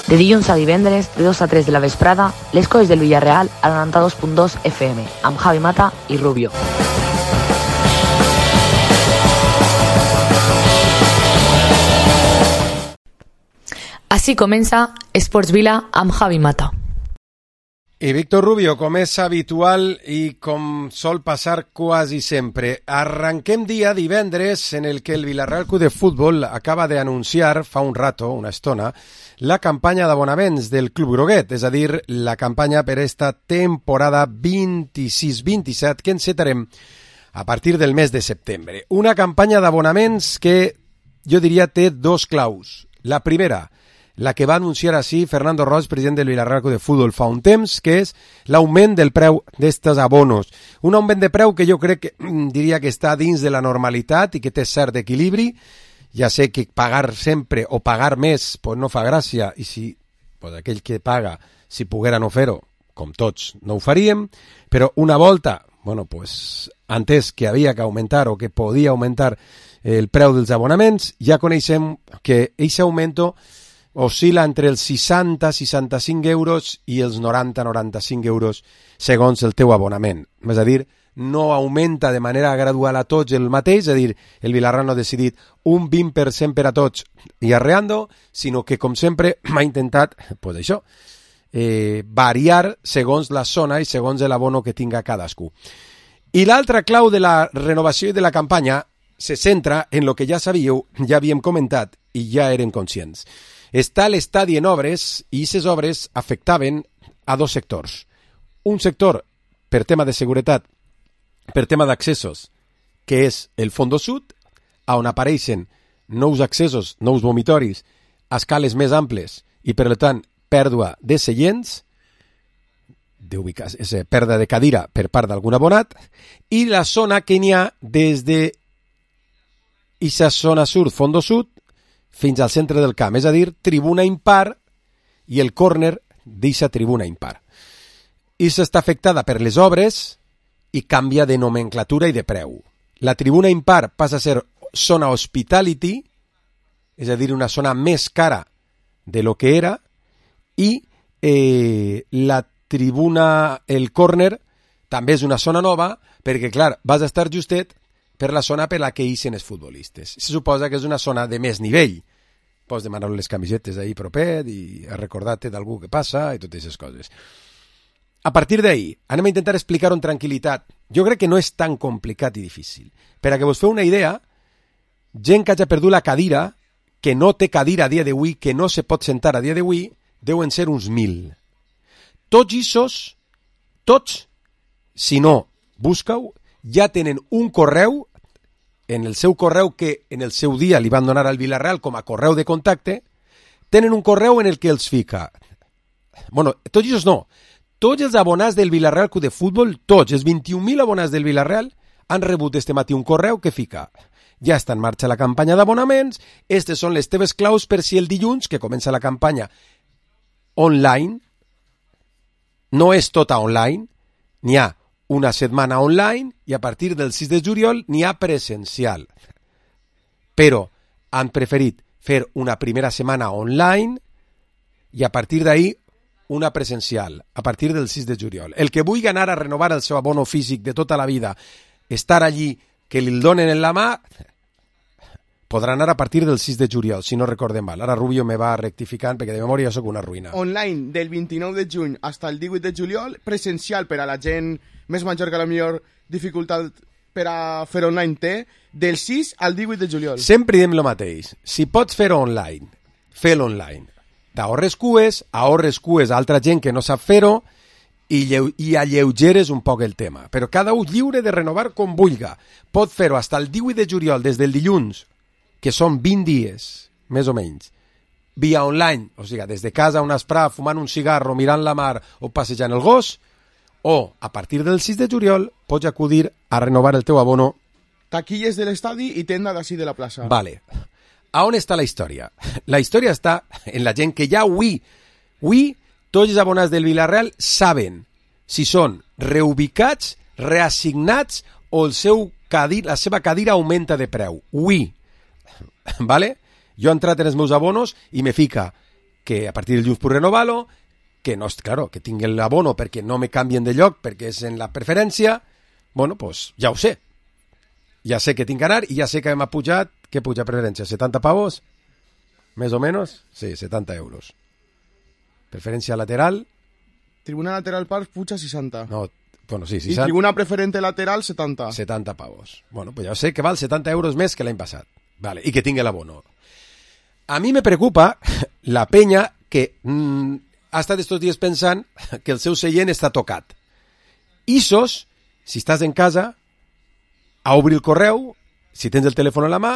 De dilluns a divendres, de 2 a 3 de la vesprada, les coses del Villarreal a la 92.2 FM, amb Javi Mata i Rubio. Així comença Esports Vila amb Javi Mata. I Víctor Rubio, com és habitual i com sol passar quasi sempre. Arranquem dia divendres en el que el Villarreal Club de Futbol acaba d'anunciar fa un rato, una estona, la campanya d'abonaments del Club Groguet, és a dir, la campanya per esta temporada 26-27 que encetarem a partir del mes de setembre. Una campanya d'abonaments que jo diria té dos claus. La primera, la que va anunciar així Fernando Roig, president del Villarreal Club de Futbol fa un temps, que és l'augment del preu d'estos abonos. Un augment de preu que jo crec que diria que està dins de la normalitat i que té cert equilibri. Ja sé que pagar sempre o pagar més pues no fa gràcia, i si pues aquell que paga, si poguera no fer-ho, com tots, no ho faríem, però una volta, bueno, pues, antes que havia que augmentar o que podia augmentar el preu dels abonaments, ja coneixem que aquest augmento oscil·la entre els 60-65 euros i els 90-95 euros segons el teu abonament. És a dir, no augmenta de manera gradual a tots el mateix, és a dir, el Villarreal no ha decidit un 20% per a tots i arreando, sinó que, com sempre, m'ha intentat, pues això, variar segons la zona i segons l'abono que tinga cadascú. I l'altra clau de la renovació i de la campanya se centra en lo que ja sabíeu, ja havíem comentat i ja eren conscients. Està l'estadi en obres i aquestes obres afectaven a dos sectors. Un sector per tema de seguretat, per tema d'accessos, que és el Fondo Sud, on apareixen nous accessos, nous vomitoris, a escales més amples i, per tant, pèrdua de seients, pèrdua de cadira per part d'algun abonat, i la zona que n'hi ha des de aquesta zona sud, Fondo Sud, fins al centre del camp, és a dir, tribuna impar i el córner d'aquesta tribuna impar. I s'està afectada per les obres i canvia de nomenclatura i de preu. La tribuna impar passa a ser zona hospitality, és a dir, una zona més cara de lo que era, i la tribuna, el córner, també és una zona nova, perquè, clar, vas a estar justet per la zona per la que ixen els futbolistes. Se suposa que és una zona de més nivell. Pots demanar les camisetes ahir propet i recordar-te d'algú que passa i totes aquestes coses. A partir d'ahir, anem a intentar explicar-ho amb tranquil·litat. Jo crec que no és tan complicat i difícil. Per a que vos feu una idea, gent que hagi perdut la cadira, que no té cadira a dia d'avui, que no se pot sentar a dia d'avui, deuen ser uns 1.000. Tots aquests, tots, si no, busca-ho, ja tenen un correu, en el seu correu que en el seu dia li van donar al Villarreal com a correu de contacte, tenen un correu en el que els fica. Bueno, tots ells no. Tots els abonats del Villarreal Club de Futbol, tots, els 21.000 abonats del Villarreal, han rebut este matí un correu que fica: ja està en marxa la campanya d'abonaments, aquestes són les teves claus per si el dilluns, que comença la campanya online, no és tota online, n'hi ha una setmana online i a partir del 6 de juliol n'hi ha presencial. Però han preferit fer una primera setmana online i a partir d'ahir una presencial, a partir del 6 de juliol. El que vulgui anar a renovar el seu abono físic de tota la vida, estar allí, que li el donen en la mà, podrà anar a partir del 6 de juliol, si no recordem mal. Ara Rubio me va rectificant perquè de memòria sóc una ruïna. Online del 29 de juny fins al 18 de juliol, presencial per a la gent més major que la millor dificultat per a fer online té, del 6 al 18 de juliol. Sempre diem el mateix. Si pots fer online, fer-lo online. T'ahorres cues, a altra gent que no sap fer-ho i alleugeres un poc el tema. Però cada un lliure de renovar com vulga. Pot fer-ho fins al 18 de juliol, des del dilluns, que són 20 dies, més o menys, via online, o sigui, des de casa a un esprà, fumant un cigarro, mirant la mar o passejant el gos, o a partir del 6 de juliol pots acudir a renovar el teu abono. Taquilles de l'estadi i tenda d'ací de la plaça. Vale. A on està la història? La història està en la gent que ja avui tots els abonats del Villarreal saben si són reubicats, reassignats o la seva cadira augmenta de preu. Vale? Jo he entrat en els meus abonos i me fica que a partir del dilluns puc renovar-lo, que no, claro, que tingui l'abono perquè no me canvien de lloc, perquè és en la preferència. Bueno, pues ja ho sé. Ja sé que tinc que anar i ja sé que m'ha pujat, que puja preferència, 70 pavos, més o menys, sí, 70 euros. Preferència lateral. Tribuna lateral par puja 60. No, bueno, sí, I 60. tribuna preferente lateral 70. 70 pavos. Bueno, pues ja sé que val 70 euros més que l'any passat. Vale, i que tingui l'abono. A mi me preocupa la penya que ha estat estos dies pensant que el seu seient està tocat. Isos, si estàs en casa, a obrir el correu, si tens el telèfon a la mà,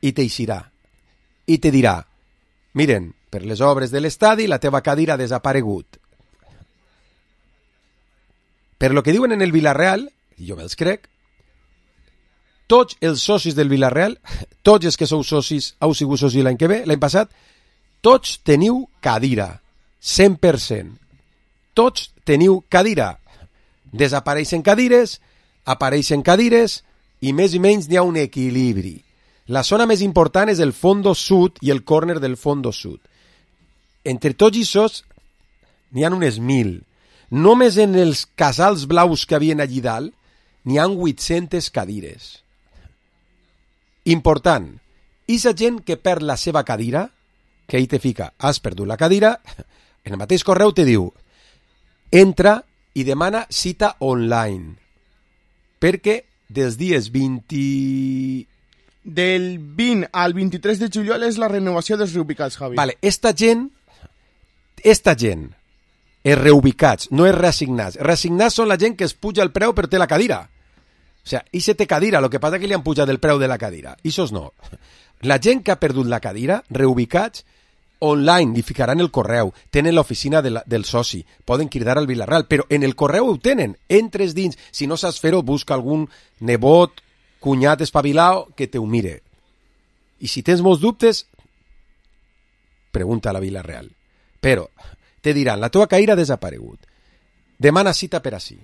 i t'eixirà. I te dirà, miren, per les obres de l'estadi la teva cadira ha desaparegut. Per lo que diuen en el Villarreal, i jo me'ls crec, tots els socis del Villarreal, tots els que sou socis, heu sigut socis l'any que ve, l'any passat, tots teniu cadira, 100%. Tots teniu cadira. Desapareixen cadires, apareixen cadires, i més i menys n'hi ha un equilibri. La zona més important és el fondo sud i el córner del fondo sud. Entre tots aquests n'hi ha unes 1.000. Només en els casals blaus que havien allí dalt n'hi ha 800 cadires. Important, i la gent que perd la seva cadira, que ahí te fica, has perdut la cadira, en el mateix correu te diu, entra i demana cita online, perquè dels dies 20... Del 20 al 23 de juliol és la renovació dels reubicats, Javi. Vale, esta gent, els reubicats, no és reassignats. Reassignats són la gent que es puja el preu per té la cadira. O sea, i se té cadira, el que passa que li han pujat el preu de la cadira. Ixos no. La gent que ha perdut la cadira, reubicats, online, li ficaran el correu, tenen l'oficina del soci, poden cridar al Villarreal, però en el correu ho tenen, entres dins, si no saps fer-ho, busca algun nebot, cunyat espavilao que te ho mire. I si tens molts dubtes, pregunta a la Villarreal. Però te diran, la teva cadira ha desaparegut, demana cita per ací,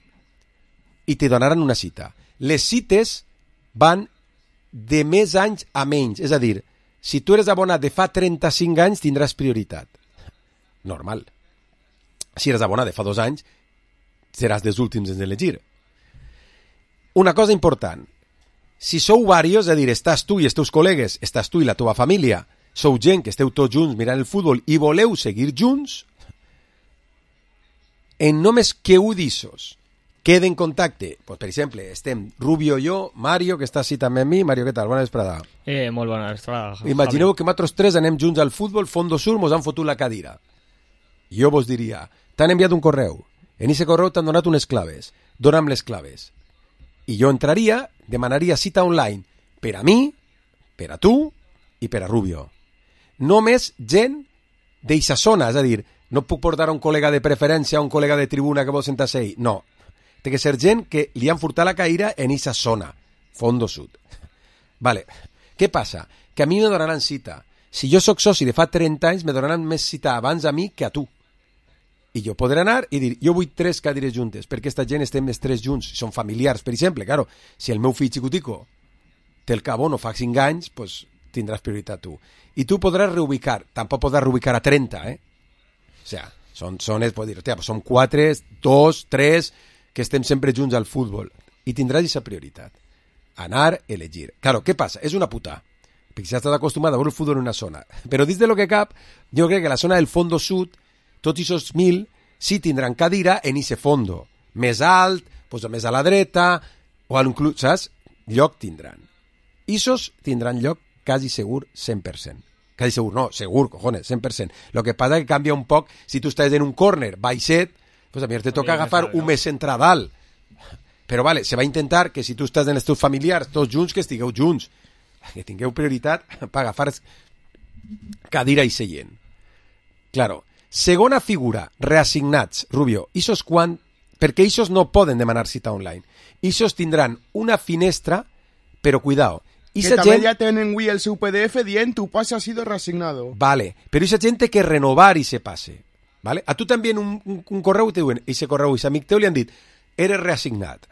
i te donaran una cita. Les cites van de més anys a menys, és a dir, si tu eres abonat de fa 35 anys, tindràs prioritat. Normal. Si eres abonat de fa 2 anys, seràs dels últims en elegir. Una cosa important, si sou varios, és a dir, estàs tu i els teus col·legues, estàs tu i la teva família, sou gent que esteu tots junts mirant el futbol i voleu seguir junts, en només que ho dissos quede en contacte, pues, per exemple, estem Rubio i jo, Mario, que està així també amb mi. Mario, què tal? Bona vesprada. Molt bona vesprada. Imagineu que nosaltres tres anem junts al futbol, Fondo Sur, mos han fotut la cadira. Jo vos diria, t'han enviat un correu, en aquest correu t'han donat unes claves, dona'm les claves. I jo entraria, demanaria cita online per a mi, per a tu i per a Rubio. Només gent d'eixa zona, és a dir, no puc portar un col·lega de preferència, un col·lega de tribuna que vol sentar-se ahí, no. Té que ser gent que li han furtat la cadira en eixa zona, Fondo Sud. Vale, què passa? Que a mi me donaran cita. Si jo sóc soci de fa 30 anys, me donaran més cita abans a mi que a tu. I jo podré anar i dir, jo vull 3 cadires juntes, perquè aquesta gent estem les 3 junts, són familiars, per exemple, claro, si el meu fill xicutico té el cabó no fa 5 anys, pues tindràs prioritat tu. I tu podràs reubicar, tampoc podràs reubicar a 30, O sea, són 4, 2, 3, que estem sempre junts al futbol. I tindràs aquesta prioritat. Anar, elegir. Claro, què passa? És una puta. Perquè ja estàs acostumat a veure el futbol en una zona. Però dins de lo que cap, jo crec que la zona del fondo sud, tots aquests 1.000 sí tindran cadira en ese fondo. Més alt, pues, més a la dreta, o inclús, saps? Lloc tindran. Isos tindran lloc quasi segur 100%. Quasi segur, no, segur, cojones, 100%. Lo que passa que canvia un poc, si tu estàs en un córner baixet, pues a mi te toca agafar un més centradal. Però vale, se va intentar que si tu estàs en els teus familiars, tots junts, que estigueu junts, que tingueu prioritat per agafar cadira i seient. Claro, segona figura, reassignats, Rubio, isos quan... Perquè isos no poden demanar cita online. Isos tindran una finestra, però cuidao, que també ja tenen avui el seu PDF dient tu pase ha sido reasignado. Vale, però esa gent té que renovar i se passe. ¿Vale? A tu t'envien un correu i te diuen, ese correu, ese amic teu li han dit, eres reassignat.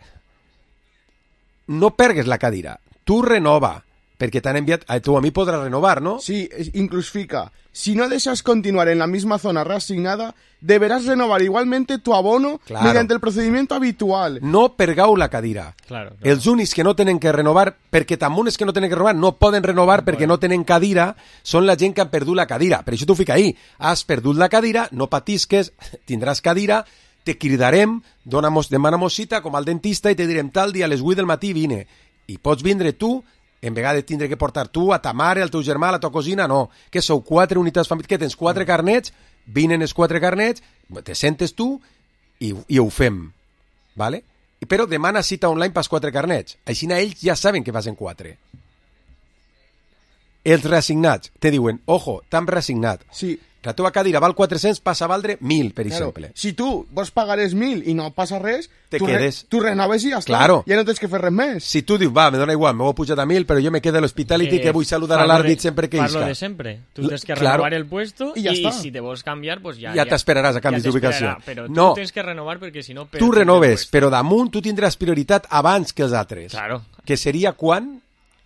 No pergues la cadira, tu renova, perquè t'han enviat... Tu a mi podràs renovar, ¿no? Sí, incluso fica. Si no deseas continuar en la misma zona reasignada, deberás renovar igualmente tu abono mediante el procedimiento habitual. No pergau la cadira. Claro. Els únics que no tenen que renovar, perquè també els que no tenen que renovar no poden renovar perquè no tenen cadira, són la gent que han perdut la cadira. Per això t'ho fica ahí. Has perdut la cadira, no patisques, tindràs cadira, te cridarem, demana-mos cita com al dentista i te direm tal dia a les 8 del matí vine. I pots vindre tu, en vegada de tindre que portar tu, a ta mare, al teu germà, a la tua cosina, no. Que sou 4 unitats familiars, que tens 4 carnets, vinen els 4 carnets, te sentes tu i ho fem, ¿vale? Però demana cita online pels 4 carnets. Així ells ja saben que vas en 4. Els reassignats te diuen, ojo, t'han reassignat. Sí. La teva cadira val 400, passa a valdre 1.000, per exemple. Si tu vols pagar els 1.000 i no passa res, te quedes. Tu renoves i ja està. Claro. Ja no tens que fer res més. Si tu dius, va, me dona igual, m'ho he pujat a 1.000, però jo me quedo a l'hospitality que vull saludar a l'àrbit sempre que isca. Parlo de sempre. Tu tens que renovar el puesto i si te vols canviar, pues ja t'esperaràs a canvis d'ubicació. Però tu tens que renovar perquè si no... Tu renoves, però damunt tu tindràs prioritat abans que els altres. Claro. Que seria quan?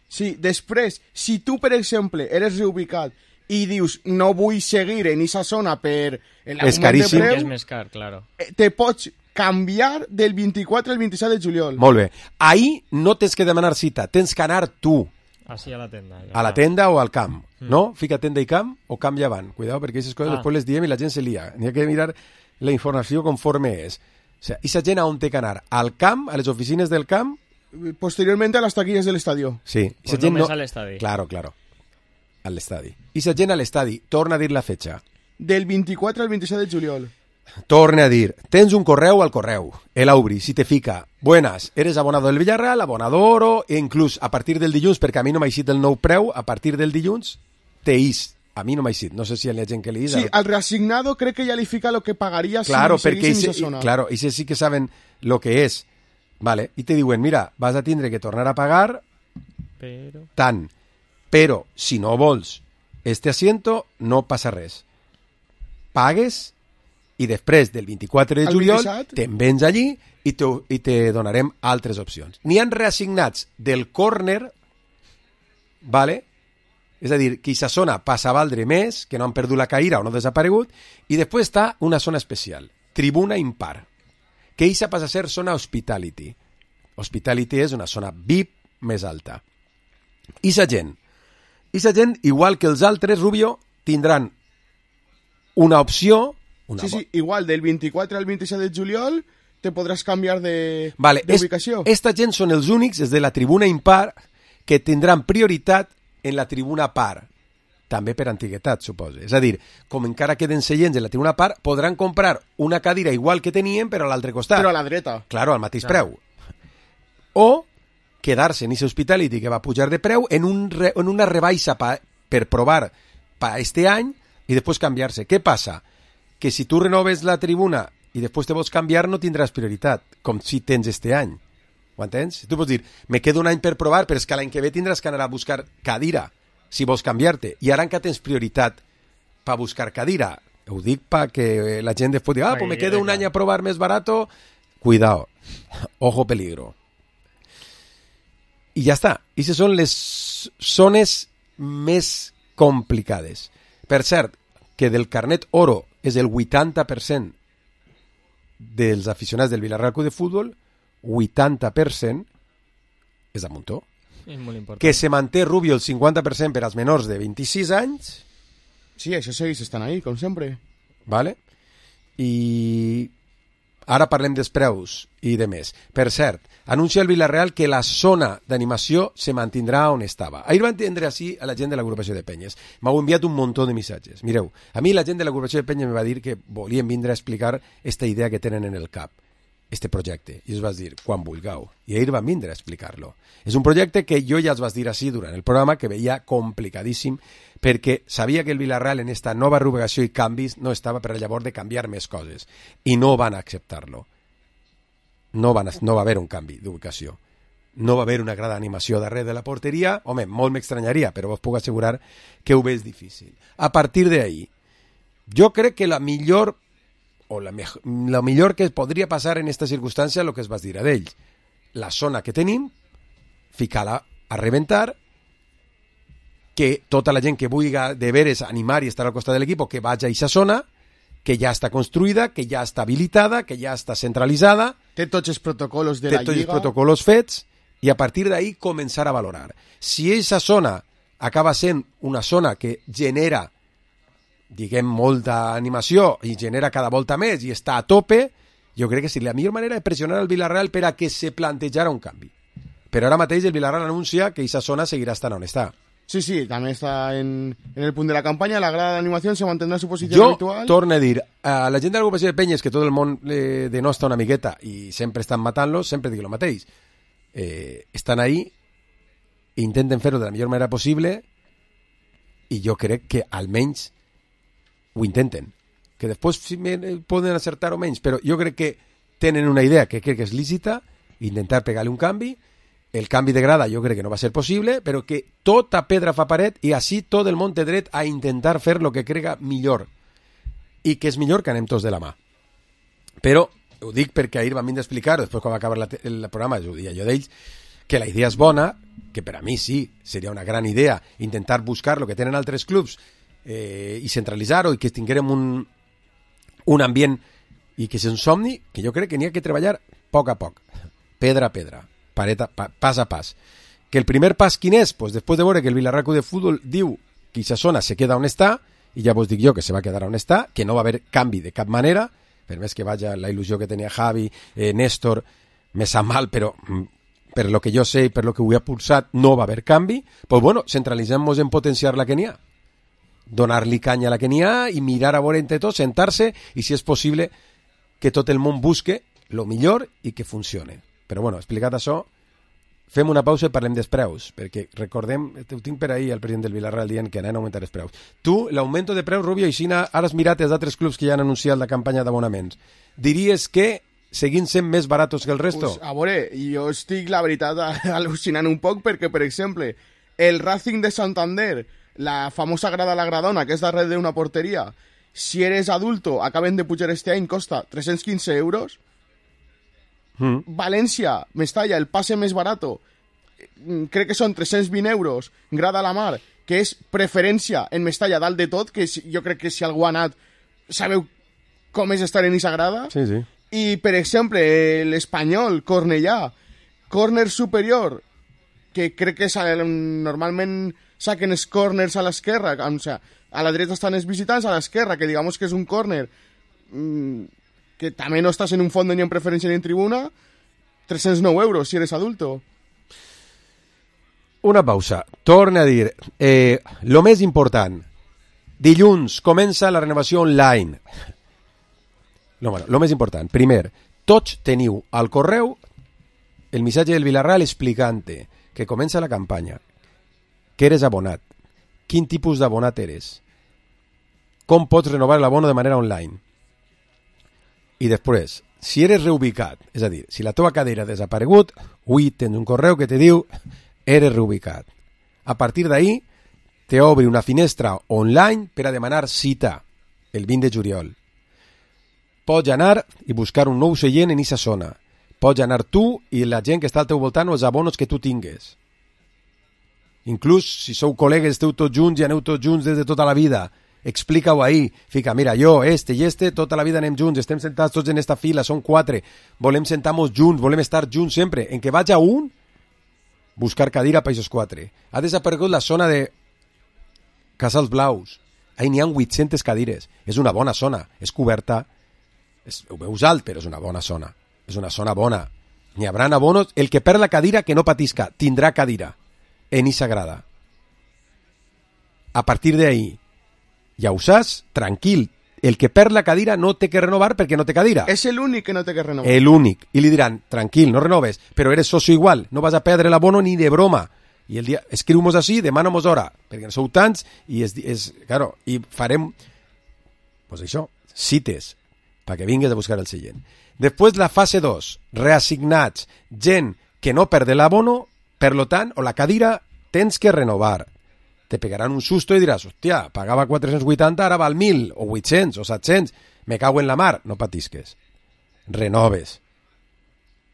Sí, després, si tu, per exemple, eres reubicat i dius, no vull seguir en aquesta zona per l'augment de preu, és més car, claro. Te pots canviar del 24 al 27 de juliol. Molt bé. Ahí no tens que demanar cita, tens que anar tu. Així a la tenda. Ja. A la tenda o al camp, no? Fica tenda i camp o camp llevant. Cuidado, perquè aquestes coses després les diem i la gent se lia. N'hi ha que mirar la informació conforme és. O sigui, aquesta gent on té que anar? Al camp, a les oficines del camp? Posteriormente a las taquillas del estadio. Sí. Pues només a l'estadi. Claro. A l'estadi. I la gent a l'estadi, torna a dir la fetxa. Del 24 al 27 de juliol. Torna a dir, tens un correu al correu, el obri, si te fica, buenas, eres abonado del Villarreal, abonado oro, e inclús a partir del dilluns, perquè a mi no m'ha eixit el nou preu, a partir del dilluns, te ix. A mi no m'ha eixit, no sé si hi ha gent que li ix. Sí, al reasignado crec que ja li fica lo que pagaria claro, si seguís en esa zona. Claro, i sí que saben lo que és. Vale, i te diuen, mira, vas a tindre que tornar a pagar tant, però si no vols este asiento no passa res. Pagues i després del 24 de juliol te'n vens allí i te donarem altres opcions. N'hi han reassignats del córner, vale? És a dir, que aquesta zona passa a valdre més, que no han perdut la caïra o no ha desaparegut, i després està una zona especial, tribuna impar, que aquesta passa a ser zona hospitality. Hospitality és una zona VIP més alta. I sa gent, igual que els altres, Rubio, tindran una opció... Sí, igual, del 24 al 27 de juliol te podràs canviar Vale, d'ubicació. esta gent són els únics, els de la tribuna impar, que tindran prioritat en la tribuna par. També per antiguitat, suposo. És a dir, com encara queden seients en la tribuna par, podran comprar una cadira igual que tenien, però a l'altre costat. Però a la dreta. Claro, al mateix preu. O quedar-se en aquest hospitality que va pujar de preu en una rebaixa per provar per este any i després canviar-se. Què passa? Que si tu renoves la tribuna i després te vols canviar no tindràs prioritat, com si tens este any. Ho entens? Tu pots dir, me quedo un any per provar, però és que l'any que ve tindràs que anar a buscar cadira si vols canviar-te. I ara encara tens prioritat per buscar cadira. Ho dic perquè la gent després diu, pues me quedo un any a provar més barato. Cuidado. Ojo peligro. I ja està. I aquestes són les zones més complicades. Per cert, que del carnet oro és el 80% dels aficionats del Villarreal Club de Futbol, 80% és a muntó. És molt important. Que se manté, Rubio, el 50% per als menors de 26 anys. Sí, això segueix estan ahí, com sempre. Vale? I ara parlem dels preus i de més. Per cert, anuncia el Villarreal que la zona d'animació se mantindrà on estava. Ahir van tindre així a la gent de l'agrupació de Penyes. M'heu enviat un muntó de missatges. Mireu, a mi la gent de l'agrupació de Penyes me va dir que volien vindre a explicar esta idea que tenen en el cap, este projecte. I els vas dir, quan vulgueu. I ahir van vindre a explicar-lo. És un projecte que jo ja els vas dir així durant el programa, que veia complicadíssim, perquè sabia que el Villarreal en esta nova reubicació i canvis no estava per llavors de canviar més coses. I no van acceptar-lo. No va haver un canvi d'ubicació. No va haver una gran animació darrere de la porteria. Home, molt m'estranyaria, però vos puc assegurar que ho veig difícil. A partir d'ahí, jo crec que la millor que podria passar en aquesta circumstància és el que es vas dir a d'ells. La zona que tenim, ficar-la a reventar que tota la gent que vulgui de veres animar i estar al costat de l'equip que vagi a aquesta zona, que ja està construïda, que ja està habilitada, que ja està centralitzada, Té tots els protocolos de té la tots els Lliga. protocols fets i a partir d'ahí començar a valorar. Si aquesta zona acaba sent una zona que genera, diguem, molta animació i genera cada volta més i està a tope, jo crec que sí, la millor manera és pressionar el Villarreal per a que se plantejara un canvi. Però ara mateix el Villarreal anuncia que aquesta zona seguirà estant on està. Sí, també està en el punt de la campanya. La grada d'animació se mantendrà en su posició Jo habitual. torno a dir, a la gent de l'agrupació de Penyes, que tot el món denosta una miqueta i sempre estan matant-los, sempre dic el mateix. Estan ahí, intenten fer-ho de la millor manera possible i jo crec que almenys ho intenten. Que després poden acertar o menys, però jo crec que tenen una idea que crec que és lícita, intentar pegar-li un canvi. El canvi de grada jo crec que no va ser possible, però que tota pedra fa paret i així tot el món té dret a intentar fer el que crega millor. I que és millor que anem tots de la mà. Però ho dic perquè ahir vam vindre a explicar, després quan va acabar el programa, ho dia jo d'ells, que la idea és bona, que per a mi sí, seria una gran idea intentar buscar el que tenen altres clubs i centralitzar-ho i que tinguérem un ambient i que és un somni que jo crec que n'hi ha que treballar a poc, pedra a pedra, pas a pas. Que el primer pas quin és? Pues després de veure que el Villarreal Club de Futbol diu que aquesta zona se queda on està, i ja vos dic jo que se va quedar on està, que no va haver canvi de cap manera, per més que vaja la il·lusió que tenia Javi, Néstor, me sap mal, però per lo que jo sé i per lo que ho he pulsat no va haver canvi, pues bueno, centralitzem-nos en potenciar la que n'hi ha, donar-li canya a la que n'hi ha i mirar a veure entre tots, sentar-se i si és possible que tot el món busque lo millor i que funcione. Però bueno, explicat això, fem una pausa i parlem dels preus, perquè recordem, ho tinc per ahir el president del Villarreal dient que anem a augmentar els preus. Tu, l'augmento de preus, Rubio, ara has mirat els altres clubs que ja han anunciat la campanya d'abonaments. Diries que seguint sent més baratos que el resto? Pues, a veure, jo estic, la veritat, al·lucinant un poc perquè, per exemple, el Racing de Santander, la famosa grada La Gradona, que és darrere d'una porteria, si eres adulto, acaben de pujar este any, costa 315 euros. València, Mestalla, el pase més barato, crec que són 320 euros, grada a la mar, que és preferència en Mestalla dalt de tot, que jo crec que si algú ha anat, sabeu com és estar en aquesta grada. Sí, sí. I, per exemple, l'Espanyol, Cornellà, córner superior, que crec que normalment saquen els córners a l'esquerra, o sigui, a la dreta estan els visitants, a l'esquerra, que digamos que és un córner que també no estàs en un fons ni en preferència ni en tribuna, 309 euros si eres adulto. Una pausa. Torna a dir, lo més important, dilluns comença la renovació online. Lo més important, primer, tots teniu al correu el missatge del Villarreal explicant-te que comença la campanya, que eres abonat, quin tipus d'abonat eres, com pots renovar l'abono de manera online. I després, si eres reubicat, és a dir, si la teva cadira ha desaparegut, avui tens un correu que te diu eres reubicat. A partir d'ahí, te obri una finestra online per a demanar cita el 20 de juliol. Pots anar i buscar un nou seient en aquesta zona. Pots anar tu i la gent que està al teu voltant o els abonos que tu tingues. Inclús si sou col·legues, esteu tots junts i aneu tots junts des de tota la vida, explica-ho ahí, fica, mira, jo, este i este, tota la vida anem junts, estem sentats tots en esta fila, són 4, volem sentar-nos junts, volem estar junts sempre, en què vaig a un, buscar cadira per aquests 4. Ha desaparegut la zona de Casals Blaus, ahí n'hi ha 800 cadires, és una bona zona, és coberta, ho veus alt, però és una bona zona, és una zona bona, n'hi haurà abonos, el que perd la cadira que no patisca, tindrà cadira, en esa grada. A partir d'ahí, ja ho saps, tranquil, el que perd la cadira no té que renovar perquè no té cadira. És l'únic que no té que renovar. L'únic. I li diran, tranquil, no renoves, però eres socio igual, no vas a perdre l'abono ni de broma. I el dia, escriu-nos així, demana-nos hora, perquè no sou tants, i claro, i farem, pues això, cites, perquè vingues a buscar el seient. Després la fase 2, reassignats, gent que no perde l'abono, per lo tant, o la cadira, tens que renovar. Te pegaran un susto i diràs, hòstia, pagava 480, ara val 1.000, o 800, o 700, me cago en la mar. No patisques. Renoves.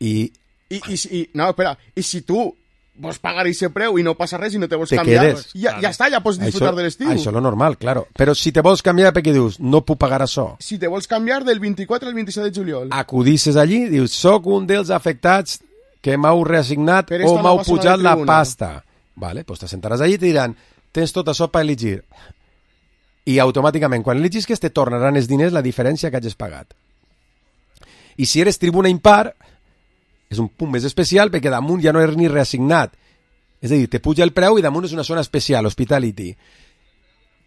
No, espera, i si tu vols pagar ese preu i no passa res i no te vols Te canviar, quedes. ja està, ja pots disfrutar de l'estiu. Això és lo normal, claro. Però si te vols canviar, perquè dius, no puc pagar això. Si te vols canviar del 24 al 27 de juliol. Acudisses allí, dius, soc un dels afectats que m'heu reassignat Per o esta m'heu nova zona pujat de la tribuna. pasta. Vale, pues te sentaràs allí i te diran, tens tot això per elegir. I automàticament, quan elegis, te tornaran els diners la diferència que hagis pagat. I si eres tribuna impar, és un punt més especial perquè damunt ja no eres ni reassignat. És a dir, te puja el preu i damunt és una zona especial, hospitality.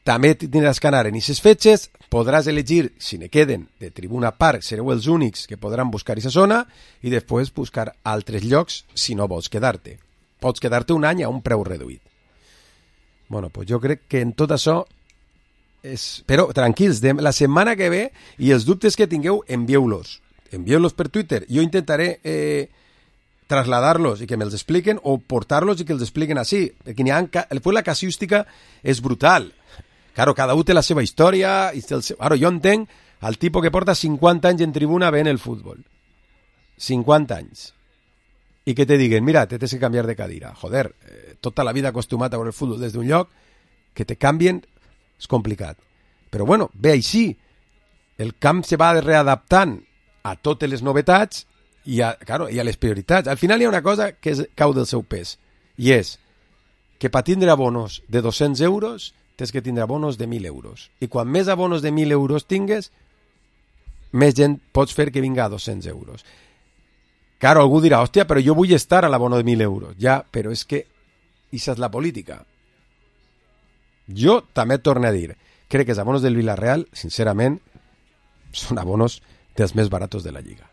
També tindràs que anar en aquestes fetges, podràs elegir, si ne queden, de tribuna parc, sereu els únics que podran buscar aquesta zona i després buscar altres llocs si no vols quedar-te. Pots quedar-te un any a un preu reduït. Bueno, pues jo crec que en tot això és... Però tranquils, la setmana que ve i els dubtes que tingueu, envieu-los. Envieu-los per Twitter. Jo intentaré trasladar-los i que me'ls expliquen o portar-los i que els expliquen així. Perquè després la casuística és brutal. Claro, cada un té la seva història. I té el seu... Ara, jo entenc el tipus que porta 50 anys en tribuna veient el futbol. 50 anys. I que te diguen, mira, te tens que canviar de cadira. Joder, tota la vida acostumat a veure el futbol des d'un lloc, que te canvien, és complicat. Però bueno, ve així. El camp se va readaptant a totes les novetats i a les prioritats. Al final hi ha una cosa que cau del seu pes, i és que per tindre abonos de 200 euros tens que tindre abonos de 1.000 euros. I quan més abonos de 1.000 euros tingues, més gent pots fer que vinga a 200 euros. Claro, algú dirà, hòstia, però jo vull estar a l'abono de 1.000 euros. Ja, però és que això és la política. Jo també torno a dir, crec que els abonos del Villarreal, sincerament, són abonos dels més baratos de la Lliga.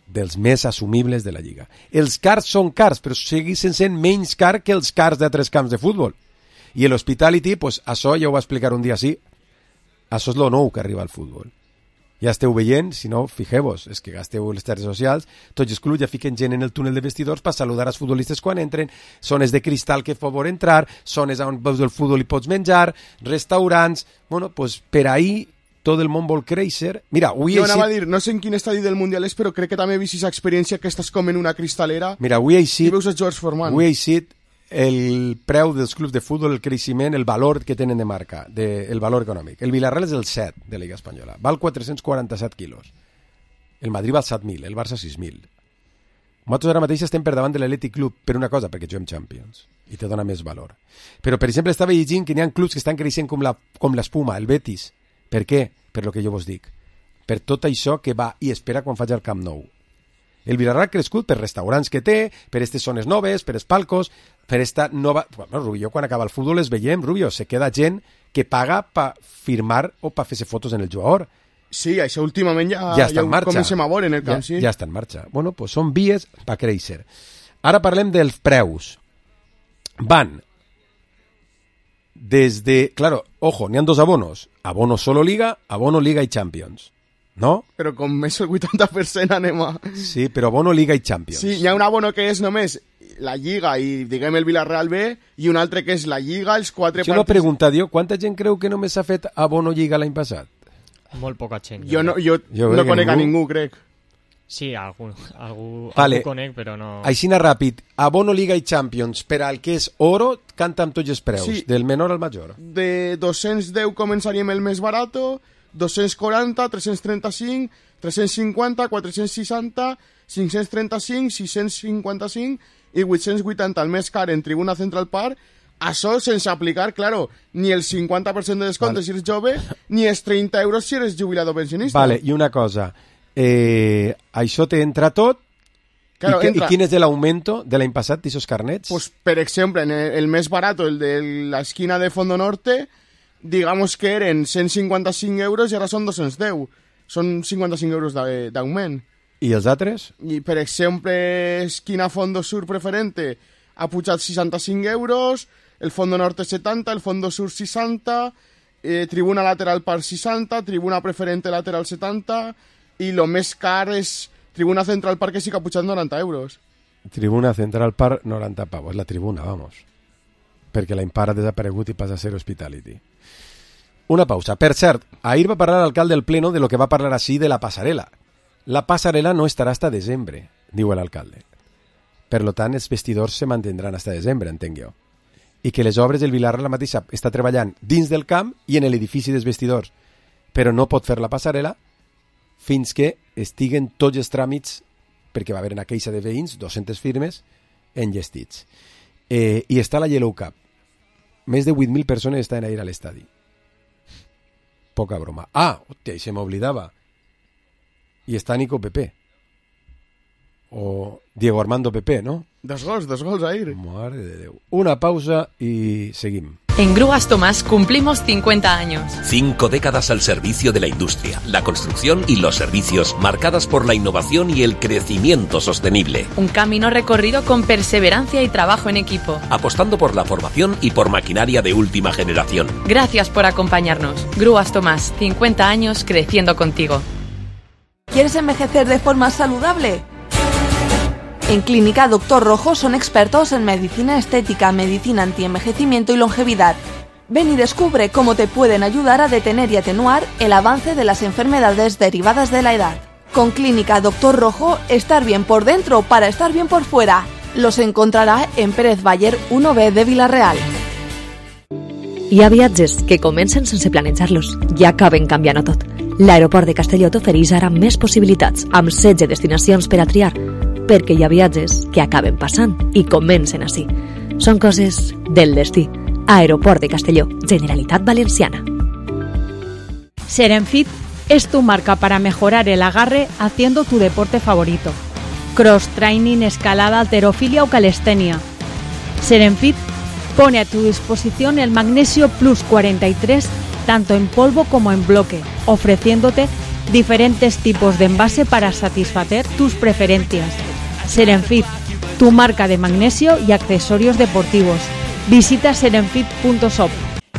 Dels més assumibles de la Lliga. Els cars són cars, però segueixen sent menys car que els cars d'altres camps de futbol. I l'Hospitality, pues, això ja ho va explicar un dia així, això és lo nou que arriba al futbol. Ja esteu veient, si no, fixeu-vos, és que gasteu les xarxes socials, tots els clubs ja fiquen gent en el túnel de vestidors per saludar els futbolistes quan entren, zones de cristal que favor entrar, zones on veus el futbol i pots menjar, restaurants... Bueno, pues per ahí tot el món vol créixer. Mira, avui Jo anava a dir, no sé en quin estadi del Mundial és, però crec que també he vist aquesta experiència que estàs com en una cristalera Mira, avui ha i veus els jugadors formant. Avui ha eixit el preu dels clubs de futbol, el creixement, el valor que tenen de marca, el valor econòmic. El Villarreal és el 7 de la Lliga Espanyola. Val 447 quilos. El Madrid val 7.000, el Barça 6.000. Nosaltres ara mateix estem per davant de l'Atlètic Club per una cosa, perquè juguem Champions i te dona més valor. Però, per exemple, estava llegint que hi ha clubs que estan creixent com l'espuma, el Betis. Per què? Per lo que jo vos dic. Per tot això que va i espera quan faig el Camp Nou. El Villarreal ha crescut per restaurants que té, per aquestes zones noves, per els palcos, per esta nova... Bueno, Rubio, quan acaba el futbol es veiem, Rubio, se queda gent que paga per firmar o per fer-se fotos en el jugador. Sí, això últimament ja està en marxa. comencem a veure en el camp, sí. Ja està en marxa. Bueno, pues són vies per créixer. Ara parlem dels preus. Van des de... Claro, ojo, n'hi ha dos abonos. Abono solo Liga, abono Liga i Champions. No? Però com més el 80% anem a... Sí, però abono Liga i Champions. Sí, hi ha un abono que és només la Lliga i, diguem, el Villarreal B, i un altre que és la Lliga, els 4 partits... Jo no pregunta, Dio, quanta gent creu que només s'ha fet abono Lliga l'any passat? Molt poca gent. Jo no conec a ningú, crec. Sí, algú Vale. conec, però no... Així ràpid, abono Liga i Champions per al que és oro, canta amb tots els preus, Sí. del menor al major. De 210 començaríem el més barato, 240, 335, 350, 460, 535, 655 i 880, el més car en Tribuna Central Park. Això sense aplicar, claro, ni el 50% de descompte si eres jove, ni els 30 euros si eres jubilat o pensionista. Vale, i una cosa, això te entra tot. Claro, I entra. quin és l'augmento de l'any passat d'aquests carnets? Pues, per exemple, en el més barato, el de la esquina de Fondo Norte, digamos que eren 155 euros i ara són 210. Són 55 euros d'augment. I els altres? I, per exemple, esquina Fondo Sur preferente ha pujat 65 euros, el Fondo Norte 70, el Fondo Sur 60, tribuna lateral Park 60, tribuna preferente lateral 70, i lo més car és tribuna Central Park, que sí que ha pujat 90 euros. Tribuna Central Park, 90 pavos. La tribuna, vamos. Perquè la Impar ha desaparegut i passa a ser Hospitality. Una pausa. Per cert, ahir va parlar l'alcalde del Pleno de lo que va parlar així de la passarel·la. La passarel·la no estarà hasta desembre, diu l'alcalde. Per tant, els vestidors se mantindran fins a desembre, entenc jo. I que les obres del Vilarreal la mateixa està treballant dins del camp i en l'edifici dels vestidors, però no pot fer la passarel·la fins que estiguen tots els tràmits, perquè va haver una queixa de veïns, 200 firmes, enllestits. I està la Yellow Cup. Més de 8.000 persones estan a ir a l'estadi. Poca broma. Hòstia, i se m'oblidava. I està Nico Pepe. O Diego Armando Pepe, ¿no? Dos gols ahí. Madre de Déu. Una pausa y seguimos. En Grúas Tomás cumplimos 50 años. 5 décadas al servicio de la industria, la construcción y los servicios, marcadas por la innovación y el crecimiento sostenible. Un camino recorrido con perseverancia y trabajo en equipo. Apostando por la formación y por maquinaria de última generación. Gracias por acompañarnos. Grúas Tomás, 50 años creciendo contigo. ¿Quieres envejecer de forma saludable? En Clínica Dr. Rojo son expertos en medicina estética, medicina antienvejecimiento y longevidad. Ven y descubre cómo te pueden ayudar a detener y atenuar el avance de las enfermedades derivadas de la edad. Con Clínica Dr. Rojo, estar bien por dentro para estar bien por fuera. Los encontrará en Pérez Baller 1B de Vila-real. Hi ha viatges que comencen sense planejar-los i acaben canviant-ho tot. L'aeroport de Castelló t'ofereix ara més possibilitats, amb 16 destinacions per a triar, perquè hi ha viatges que acaben passant i comencen així. Són coses del destí. Aeroport de Castelló, Generalitat Valenciana. Serenfit es tu marca para mejorar el agarre haciendo tu deporte favorito. Cross training, escalada, halterofilia o calistenia. Serenfit pone a tu disposición el Magnesio Plus 43 tanto en polvo como en bloque, ofreciéndote diferentes tipos de envase para satisfacer tus preferencias. Serenfit, tu marca de magnesio y accesorios deportivos. Visita serenfit.shop.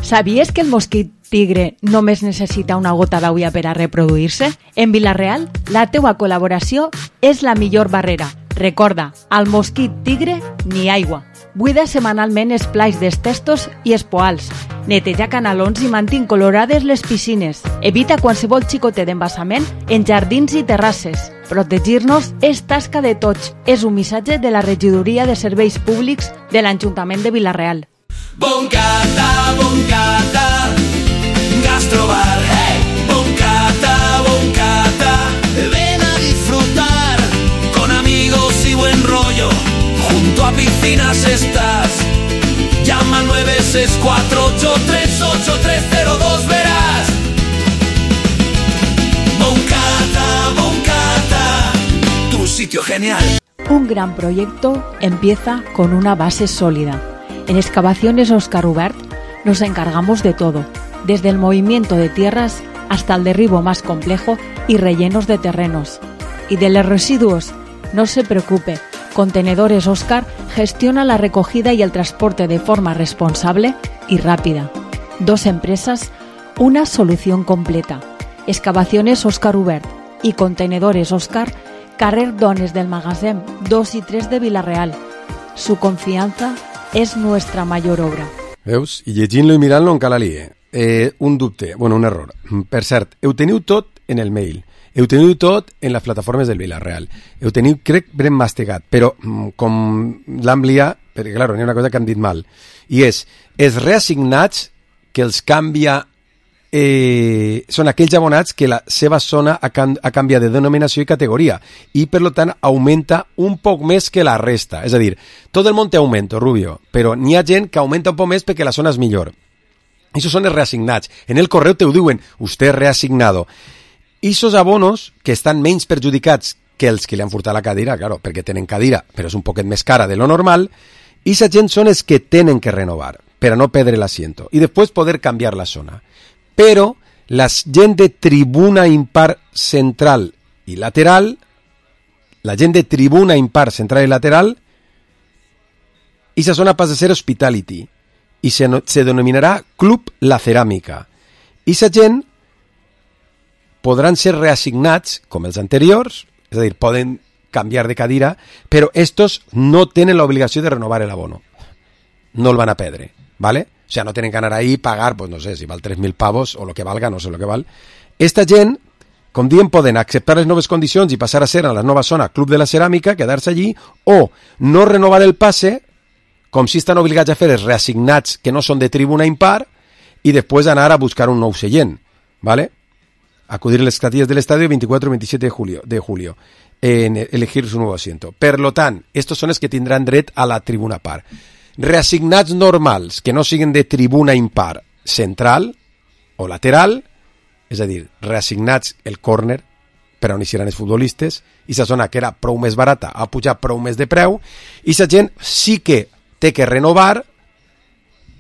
¿Sabías que el mosquit tigre només necessita una gota d'aigua per a reproduir-se? En Vila-real, la teua col·laboració és la millor barrera. Recorda, al mosquit tigre, ni aigua. Buida setmanalment els plats dels testos i els poals. Neteja canalons i mantén colorades les piscines. Evita qualsevol xicotet d'embassament en jardins i terrasses. Protegir-nos és tasca de tots. És un missatge de la Regidoria de Serveis Públics de l'Ajuntament de Vila-real. Boncata, Gastrobar, hey. Boncata, ven a disfrutar con amigos y buen rollo. Junto a piscinas estás. Llama al 964838302, verás. Boncata, tu sitio genial. Un gran proyecto empieza con una base sólida. En Excavaciones Óscar Ubert nos encargamos de todo, desde el movimiento de tierras hasta el derribo más complejo y rellenos de terrenos. Y de los residuos, no se preocupe, Contenedores Óscar gestiona la recogida y el transporte de forma responsable y rápida. 2 empresas, una solución completa. Excavaciones Óscar Ubert y Contenedores Óscar, carrer Dones del Magasin 2 y 3 de Vila-real. Su confianza és nuestra mayor obra. Veus? I llegint-lo i mirant-lo encara lié. Un dubte, un error. Per cert, ho teniu tot en el mail. Ho teniu tot en les plataformes del Vila-real. Ho teniu, crec, ben mastegat, però com l'hem liat, perquè, clar, n'hi ha una cosa que han dit mal, i és, els reassignats que els canvia són aquells abonats que la seva zona ha canviat de denominació i categoria i, per tant, augmenta un poc més que la resta. És a dir, tot el món té augmento, Rubio, però n'hi ha gent que augmenta un poc més perquè la zona és millor. Això són els reassignats. En el correu te ho diuen, usted reasignado. I esos abonos que estan menys perjudicats que els que li han furtat la cadira, claro, perquè tenen cadira, però és un poquet més cara de lo normal, i aquesta gent són els que tenen que renovar per a no perdre l'asiento i després poder canviar la zona. Però la gent de tribuna impar central i lateral, la gent de tribuna impar central i lateral, esa zona passa a ser hospitality i se denominarà Club La Ceràmica. I esa gent podran ser reassignats com els anteriors, és a dir, poden canviar de cadira, però estos no tenen l'obligació de renovar el abono. No el van a perdre, ¿vale? O sea, no tienen que anar ahí y pagar, pues no sé, si val 3.000 pavos o lo que valga, no sé lo que val. Esta gent com diem, poden acceptar les noves condicions i passar a ser a la nova zona Club de la Ceràmica, quedar-se allí, o no renovar el passe, com si estan obligats a fer els reassignats que no són de tribuna impar, y después anar a buscar un nou seient, ¿vale? Acudir a las casillas del estadio 24 y 27 de julio en elegir su nuevo asiento. Per lo tant, estos són els que tindran dret a la tribuna par. Reassignats normals, que no siguen de tribuna impar central o lateral, és a dir, reassignats el córner per on hi seran els futbolistes, i la zona que era prou més barata ha pujat prou més de preu, i la gent sí que té que renovar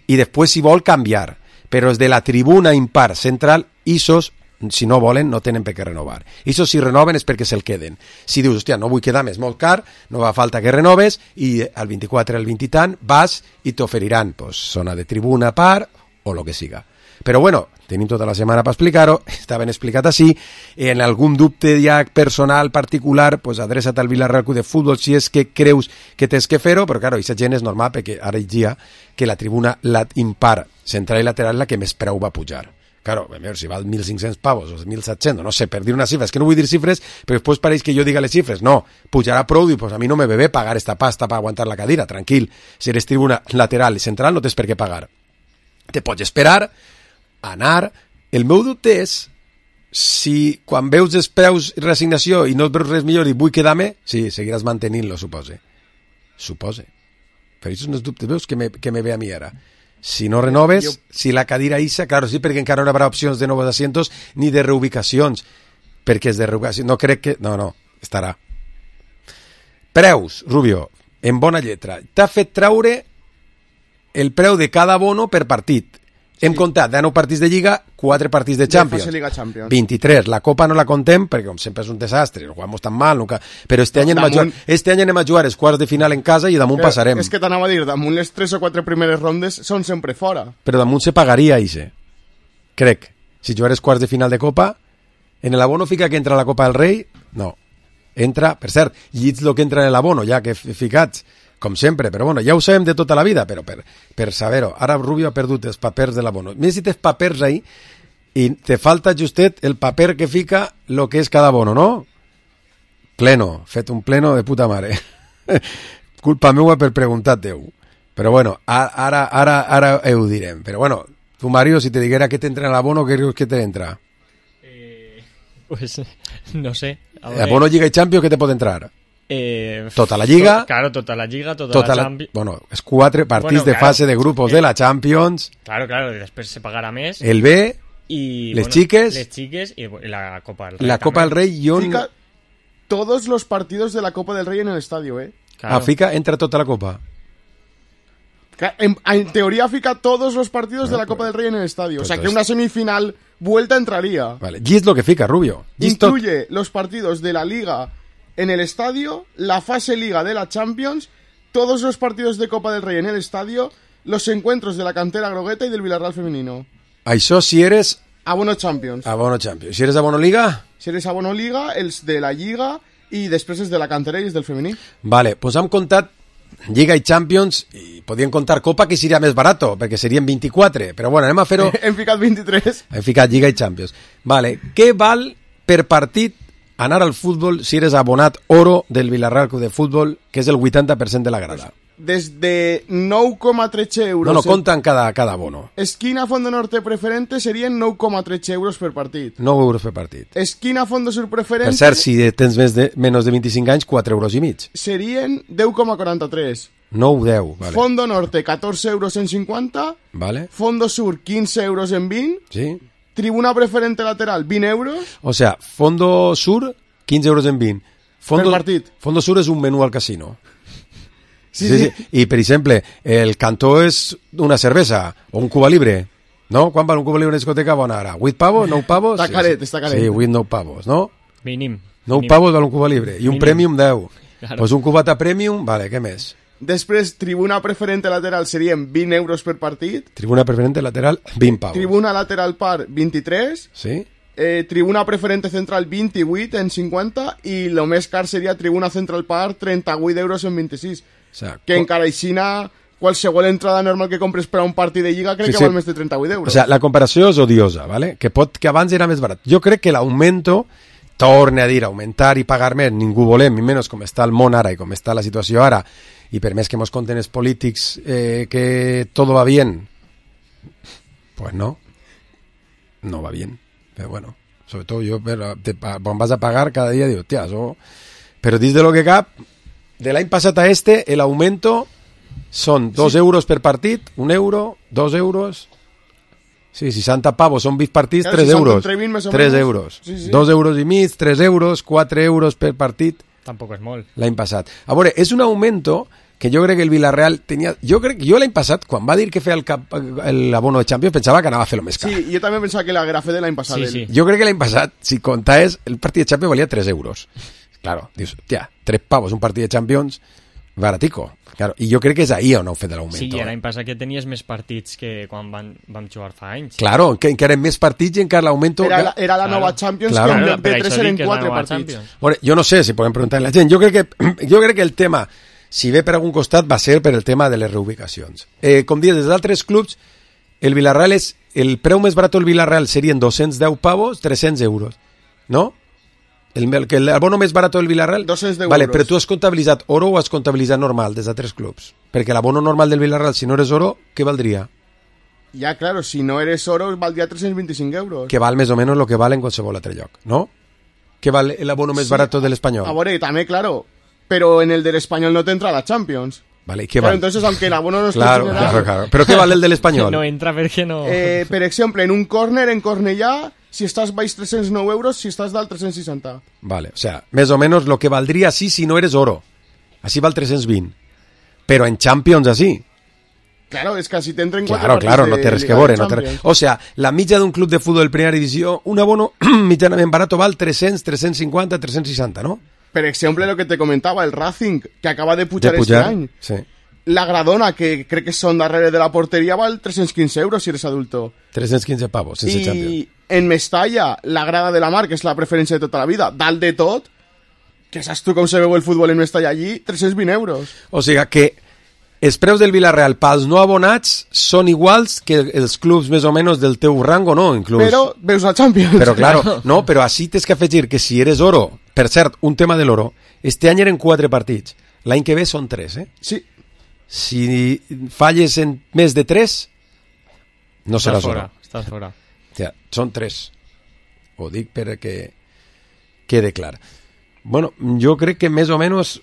i després, si vol, canviar. Però els de la tribuna impar central, ISOs, si no volen, no tenen per què renovar. ISOs, si renoven, és perquè se'l queden. Si dius, hòstia, no vull quedar més molt car, no va falta que renoves, i al 24, al 20 i tant, vas i t'oferiran pues, zona de tribuna par o lo que siga. Però bueno, tenim tota la setmana per explicar-ho, està ben explicat així, en algun dubte ja personal, particular, pues adreça't al Villarreal Club de Futbol si és que creus que tens que fer-ho, però claro, aquesta gent és normal perquè ara hi dia que la tribuna impar central i lateral és la que més preu va pujar. Claro, a veure, si val 1.500 pavos o 1.700, no sé, per dir una xifra, és que no vull dir xifres, però després pareix que jo diga les xifres. No, pujarà prou, i pues a mi no me ve bé pagar esta pasta per aguantar la cadira, tranquil. Si eres tribuna lateral i central no tens per què pagar. Te pots esperar, anar. El meu dubte és si quan veus els preus i reassignació i no et veus res millor i vull quedar-me, sí, seguiràs mantenint-lo, supose. Però això són els dubtes, veus que me ve a mi ara. Si no renoves, si la cadira issa, claro, sí, perquè encara no hi haurà opcions de nous asientos ni de reubicacions, perquè és de reubicació, no crec que... No, estarà. Preus, Rubio, en bona lletra. T'ha fet traure el preu de cada abono per partit. Hem comptat 19 partits de Lliga, 4 partits de Champions. Liga Champions. 23. La Copa no la contem perquè com sempre és un desastre, no jugamos tan mal, nunca... però este any anem a jugar els quarts de final en casa i damunt passarem. És que t'anava a dir, damunt les 3 o 4 primeres rondes són sempre fora. Però damunt se pagaria, ixe. Crec. Si jugares quarts de final de Copa, en l'abono fica que entra la Copa del Rei? No. Entra, per cert, llits lo que entra en l'abono, ja que ficats, com sempre, però bueno, ja ho sabem de tota la vida, però per saber-ho. Ara Rubio ha perdut els papers de l'abono. Més si tens papers ahí i te falta justet el paper que fica lo que és cada abono, no? Pleno, fet un pleno de puta mare. Culpa meua per preguntar-te-ho. Però bueno, ara ho direm. Però bueno, tu, Mario, si te diguera que t'entra en l'abono, què creus que t'entra? Pues no sé. Abono Lliga i Champions, què te pot entrar? Tota la Lliga, claro, tota la Lliga, tota la Champions. Bueno, els 4 partits de fase de grupos de la Champions. Claro, i després se pagarà més. El B, y les xiques y la Copa del Rey. La Copa del Rey, Fica todos los partidos de la Copa del Rey en el estadio, Claro. Fica, entra tota la Copa. En teoría fica todos los partidos de la Copa del Rey en el estadio. O sea que una semifinal vuelta entraría. Vale, y es lo que fica, Rubio. Incluye los partidos de la Liga en el estadio, la fase Liga de la Champions, todos los partidos de Copa del Rey en el estadio, los encuentros de la cantera grogueta y del Villarreal femenino. Això si eres... Abono Champions. Abono Champions. Si eres abono Liga? Si eres abono Liga, els de la Lliga i després és de la cantera i és del femení. Vale, pues hem comptat Lliga i Champions i podíem contar Copa, que seria més barato, perquè serien 24, però bueno, anem a fer-ho... Hem ficat 23. Hem ficat Lliga i Champions. Vale, què val per partit anar al futbol si eres abonat oro del Villarreal Club de Futbol, que és el 80% de la grada? Des de 9,13 euros... No, compten cada abono. Esquina Fondo Norte preferente serien 9,13 euros per partit. 9 euros per partit. Esquina Fondo Sur preferente... Per cert, si tens menys de 25 anys, 4 euros i mig. Serien 10,43. 9,10, vale. Fondo Norte, 14 euros en 50. Vale. Fondo Sur, 15 euros en 20. Sí. Tribuna preferente lateral, 20 euros. O sea, Fondo Sur, 15 euros en 20. Per partit. Fondo Sur és un menú al casino. Sí. I, per exemple, el cantó és una cervesa o un Cuba Libre, no? Quan val un Cuba Libre en discoteca bona ara? 8 pavos? 9 pavos? Està caret. Sí, 8, 9 pavos, no? Mínim. 9 pavos val un Cuba Libre. I un Premium 10. Claro. Pues un cubata Premium, vale, què més? Després, tribuna preferente lateral serien 20 euros per partit. Tribuna preferente lateral, 20 pavos. Tribuna lateral par, 23. Sí. Tribuna preferente central, 28 en 50. I el més car seria tribuna central par, 38 euros en 26. O sea, que encara aixina qualsevol entrada normal que compres per a un partit de Lliga crec que val més de 38 euros. O sea, la comparació és odiosa, ¿vale? Que abans era més barat. Jo crec que l'augmento, torne a dir, augmentar i pagar més, ningú volem, i menys com està el món ara i com està la situació ara, i per més que mos conten els polítics que todo va bien, pues no va bien. Pero bueno, sobre todo yo, quan vas a pagar cada día digo, tía, eso... Pero dins de lo que cap, de l'any passat a el aumento son 2 euros per partit, 1 euro, 2 euros... Sí, 60 pavos, són 20 partits, 3 euros. 3 euros. Sí. 2 euros i mig, 3 euros, 4 euros per partit. Tampoc és molt. L'any passat. A veure, és un augmento que jo crec que el Villarreal tenia... Jo l'any passat, quan va dir que feia l'abono de Champions, pensava que anava a fer-lo més car. Sí, jo també pensava que la grafé de l'any passat. Sí. Jo crec que l'any passat, si comptaves, el partit de Champions valia 3 euros. Claro, dius, tia, 3 pavos un partit de Champions, baratico. Claro, i jo crec que és ahir on heu fet l'augment. Sí, l'any passat que tenies més partits que quan vam jugar fa anys. Claro, que encara més partits i encara l'augment... Era la nova Champions, claro. Que en lloc de 3 eren 4 partits. Bueno, jo no sé si podem preguntar a la gent. Jo crec que el tema, si ve per algun costat, va ser per el tema de les reubicacions. Com dius, des d'altres clubs, el Villarreal el preu més barat del Villarreal serien 210 pavos, 300 euros, no? El abono més barat del Villarreal... 210 vale, euros. però tu has comptabilitzat oro o has comptabilitzat normal des d'altres clubs? Perquè l'abono normal del Villarreal, si no eres oro, què valdria? Ja, claro, si no eres oro, valdria 325 euros. Que val més o menys el que val en qualsevol altre lloc, no? Que val l'abono més barat de l'Espanyol? A veure, també, claro, però en el de l'Espanyol no t'entra la Champions. Vale, ¿qué claro, vale? entonces, aunque el abono no esté claro. ¿Pero qué vale el del Espanyol? No entra perquè no... Per exemple, en un córner, en Cornellà, si estàs baix 309 euros, si estàs dalt 360. Vale, o sea, més o menos lo que valdría así si no eres oro. Así val 320. Pero en Champions así. Claro, es que si t'entren 4 Claro, no té res que veure. O sea, la mitja d'un club de futbol de primera divisió, un abono mitjanament barato val 300, 350, 360, ¿no? Per exemple, lo que te comentava, el Racing, que acaba de pujar este any. Sí. La Gradona, que crec que són darrere de la porteria, val 315 euros si eres adulto. 315 pavos, sense Champions. I en Mestalla, la grada de la Mar, que és la preferència de tota la vida, dalt de tot, que saps tu com se veu el futbol en Mestalla allí, 320 euros. O sigui que els preus del Villarreal pels no abonats són iguals que els clubs més o menys del teu rango, no? Inclús. Però veus la Champions. Però claro, no, però així tens que afegir que si eres oro, per cert, un tema de l'oro, este any eren 4 partits, l'any que ve són 3, eh? Sí. Si falles en més de 3, no seràs oro. Estàs fora. Ja, són 3. Ho dic perquè quede clar. Bueno, jo crec que més o menys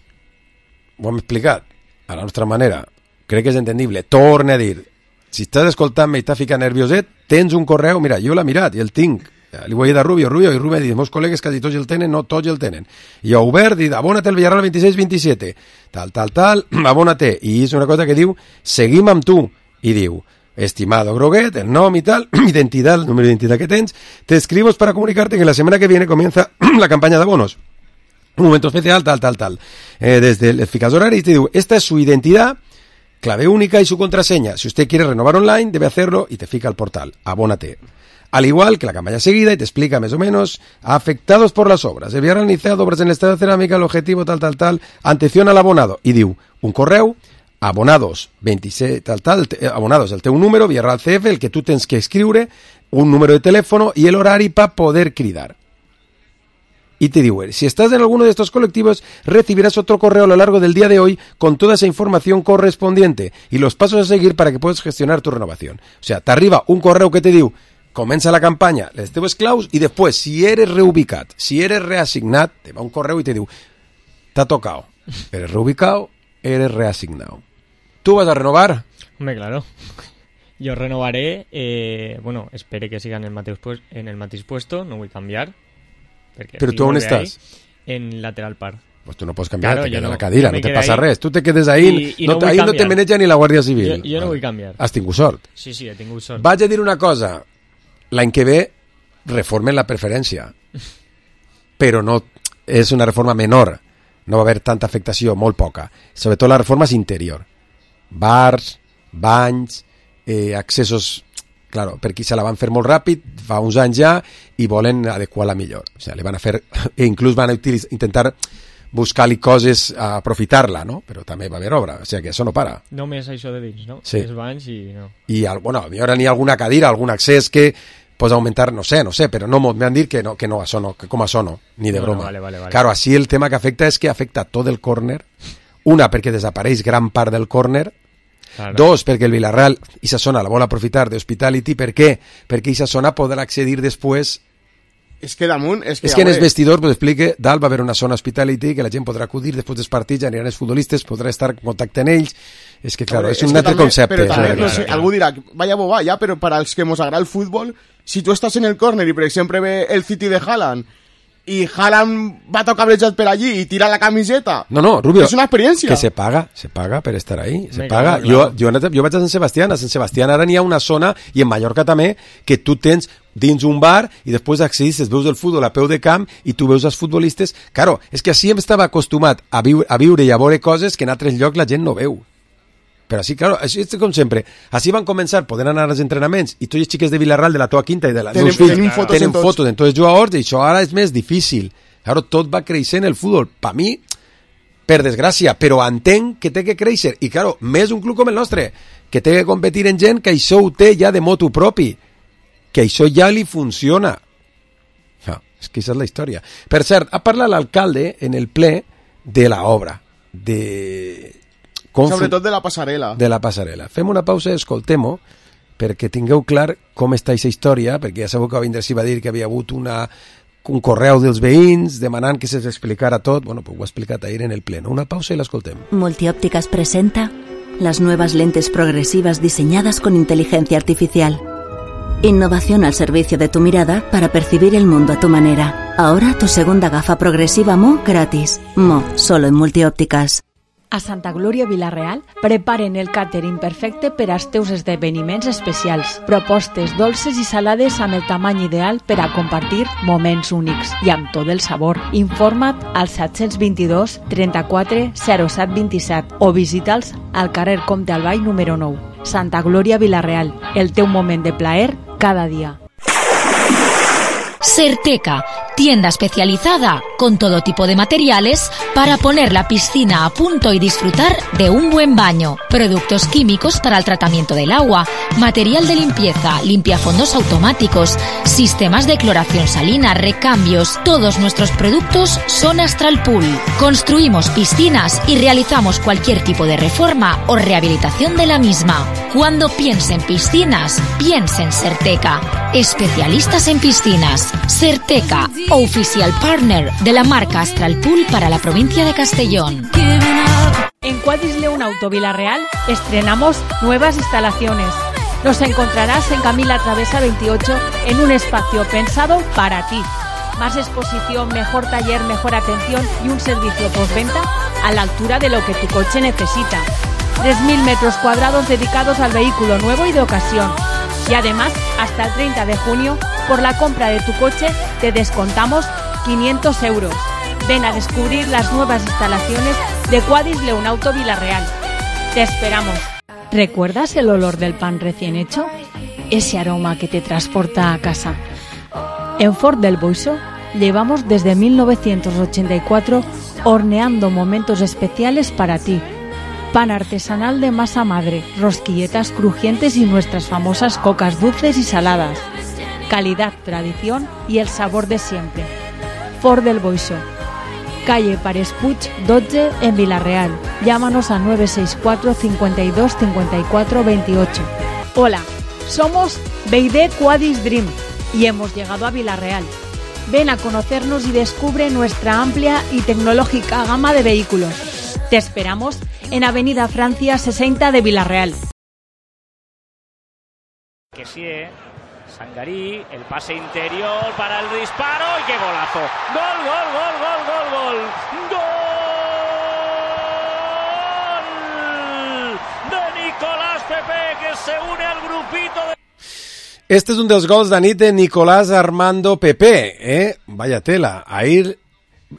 ho hem explicat a la nostra manera. Crec que és entendible. Torna a dir, si estàs escoltant-me i t'ha ficat nervioset, tens un correu, mira, jo l'he mirat i el tinc. Li vull dir a Rubio, i Rubio diu, meus col·legues quasi tots el tenen, no tots el tenen. I jo obert, dic, abónate el Villarreal 26-27, tal, abónate. I és una cosa que diu, seguim amb tu. I diu, estimado Groguet, el nom y tal, identidad, el número de identidad que tens, te escribo para comunicarte que la semana que viene comienza la campaña de abonos. Un momento especial, tal. Desde el eficaz horario y te digo, esta es su identidad, clave única y su contraseña. Si usted quiere renovar online, debe hacerlo y te fica al portal. Abónate. Al igual que la campaña seguida y te explica más o menos afectados por las obras. El Villarreal iniciado obras en el estado de cerámica, el objetivo tal, atención al abonado. Y diu, un correu, abonados 26, abonados el teu número, Villarreal CF, el que tu tens que escriure, un número de teléfono y el horari para poder cridar. Y te digo, si estás en alguno de estos colectivos, recibirás otro correo a lo largo del día de hoy con toda esa información correspondiente y los pasos a seguir para que puedas gestionar tu renovación. O sea, t'arriba un correu que te diu, comença la campanya, les teves claus, i després, si eres reubicat, si eres reassignat, te va un correu i te diu, t'ha tocado, eres reubicado, eres reasignado. ¿Tú vas a renovar? Hombre, claro. Yo renovaré, bueno, espere que siga en el mateix puesto, no vull canviar. Pero tú, ¿dónde estás? En lateral par. Pues tú no puedes cambiar, claro, te queda no, la cadira, no te pasa res. Tu te quedes ahí, i no vull ahí canviar. No te maneja ni la Guàrdia Civil. Jo no vull canviar. Has tingut sort. Sí, he tingut sort. Vaig a dir una cosa, l'any que ve reformen la preferència, però no és una reforma menor, no va haver tanta afectació, molt poca. Sobretot la reforma és interior. Bars, banys, accessos... Claro, per aquí se la van fer molt ràpid, fa uns anys ja, i volen adequar-la millor. O sigui, le van a fer, e inclús van a intentar buscar-li coses a aprofitar-la, no? Però també va haver obra, o sigui que això no para. Només això de dins, no? Sí. Els banys i no. I, bueno, hi haurà ni alguna cadira, algun accés que pots augmentar, no sé, però no m'han dit que no, això no, que com això no, ni de broma. Vale. Claro, així el tema que afecta és que afecta tot el córner, una, perquè desapareix gran part del córner, claro. Dos, perquè el Villarreal, aquesta zona la vol aprofitar d'Hospitality, per què? Perquè aquesta zona podrà accedir després. És que damunt... És que en els vestidors, pues explique, dalt va haver una zona Hospitality que la gent podrà acudir després dels partits, aniran els futbolistes, podrà estar en contacte amb ells. És que, claro, és un altre concepte. Però també, no sé, algú dirà, vaya boba, ja, però per als que ens agrada el futbol, si tu estàs en el córner i, per exemple, ve el City de Haaland i Haaland va tocar cablejat per allí i tira la camiseta... No, Rubio, és una experiència. Que se paga per estar ahí, se paga. Claro. Jo vaig a Sant Sebastián, a Sant Sebastián ara n'hi ha una zona, i en Mallorca també, que tu tens dins un bar i després accedis, veus el futbol a peu de camp i tu veus els futbolistes. Claro, és que així em estava acostumat a viure i a veure coses que en altres llocs la gent no veu. Però així, claro, així és com sempre. Així van començar, poden anar als entrenaments i tots els xiques de Villarreal, de la teva quinta i de la teus fills, tenen fotos en tots els jugadors, i això ara és més difícil. Claro, tot va creixent el futbol. Per mi, per desgràcia, però entenc que té que créixer. I, claro, més un club com el nostre, que té que competir en gent que això ho té ja de motu propi, que això ja li funciona. No, és que aquesta és la història. Per cert, ha parlat l'alcalde en el ple de l'obra, sobretot de la passarel·la. De la passarel·la. Fem una pausa i escoltem-ho, perquè tingueu clar com està aquesta història, perquè ja sabeu que va vindre si va dir que havia hagut un correu dels veïns demanant que s'explicara tot. Bueno, pues ho ha explicat ahir en el pleno. Una pausa i l'escoltem. Multiópticas presenta las nuevas lentes progresivas diseñadas con inteligencia artificial. Innovación al servicio de tu mirada para percibir el mundo a tu manera. Ahora tu segunda gafa progresiva Mo gratis. Mo, solo en Multiópticas. A Santa Glòria Vila-real preparen el càtering perfecte per als teus esdeveniments especials. Propostes dolces i salades amb el tamany ideal per a compartir moments únics i amb tot el sabor. Informa't al 722 34 07 27 o visita'ls al carrer Comte Albay número 9. Santa Glòria Vila-real, el teu moment de plaer cada dia. Certeca, tienda especializada con todo tipo de materiales para poner la piscina a punto y disfrutar de un buen baño. Productos químicos para el tratamiento del agua, material de limpieza, limpiafondos automáticos, sistemas de cloración salina, recambios. Todos nuestros productos son Astral Pool. Construimos piscinas y realizamos cualquier tipo de reforma o rehabilitación de la misma. Cuando piense en piscinas, piense en Certeca. Especialistas en piscinas. Certeca, oficial partner de la marca Astral Pool para la provincia de Castellón. En Quadis León Auto Vila-real estrenamos nuevas instalaciones. Nos encontrarás en Camila Travesa 28 en un espacio pensado para ti. Más exposición, mejor taller, mejor atención y un servicio postventa a la altura de lo que tu coche necesita. 3.000 metros cuadrados dedicados al vehículo nuevo y de ocasión. Y además, hasta el 30 de junio, por la compra de tu coche, te descontamos 500 euros. Ven a descubrir las nuevas instalaciones de Quadis León Auto Vila-real. Te esperamos. ¿Recuerdas el olor del pan recién hecho? Ese aroma que te transporta a casa. En Ford del Boixo llevamos desde 1984 horneando momentos especiales para ti. Pan artesanal de masa madre, rosquilletas crujientes y nuestras famosas cocas dulces y saladas. Calidad, tradición y el sabor de siempre. Ford del Boixo, calle Pares Puig 12 en Vila-real. Llámanos a 964 52 54 28. Hola, somos BYD Quadis Dream y hemos llegado a Vila-real. Ven a conocernos y descubre nuestra amplia y tecnológica gama de vehículos. Te esperamos en Avenida Francia 60 de Vila-real. Que sí, Sangarí, el pase interior para el disparo y qué golazo. Gol, gol, gol, gol, gol, gol. Gol de Nicolás Pepe, que se une al grupito de... Este és un dels gols de nit de Nicolás Armando Pepe, Vaya tela. Ahir,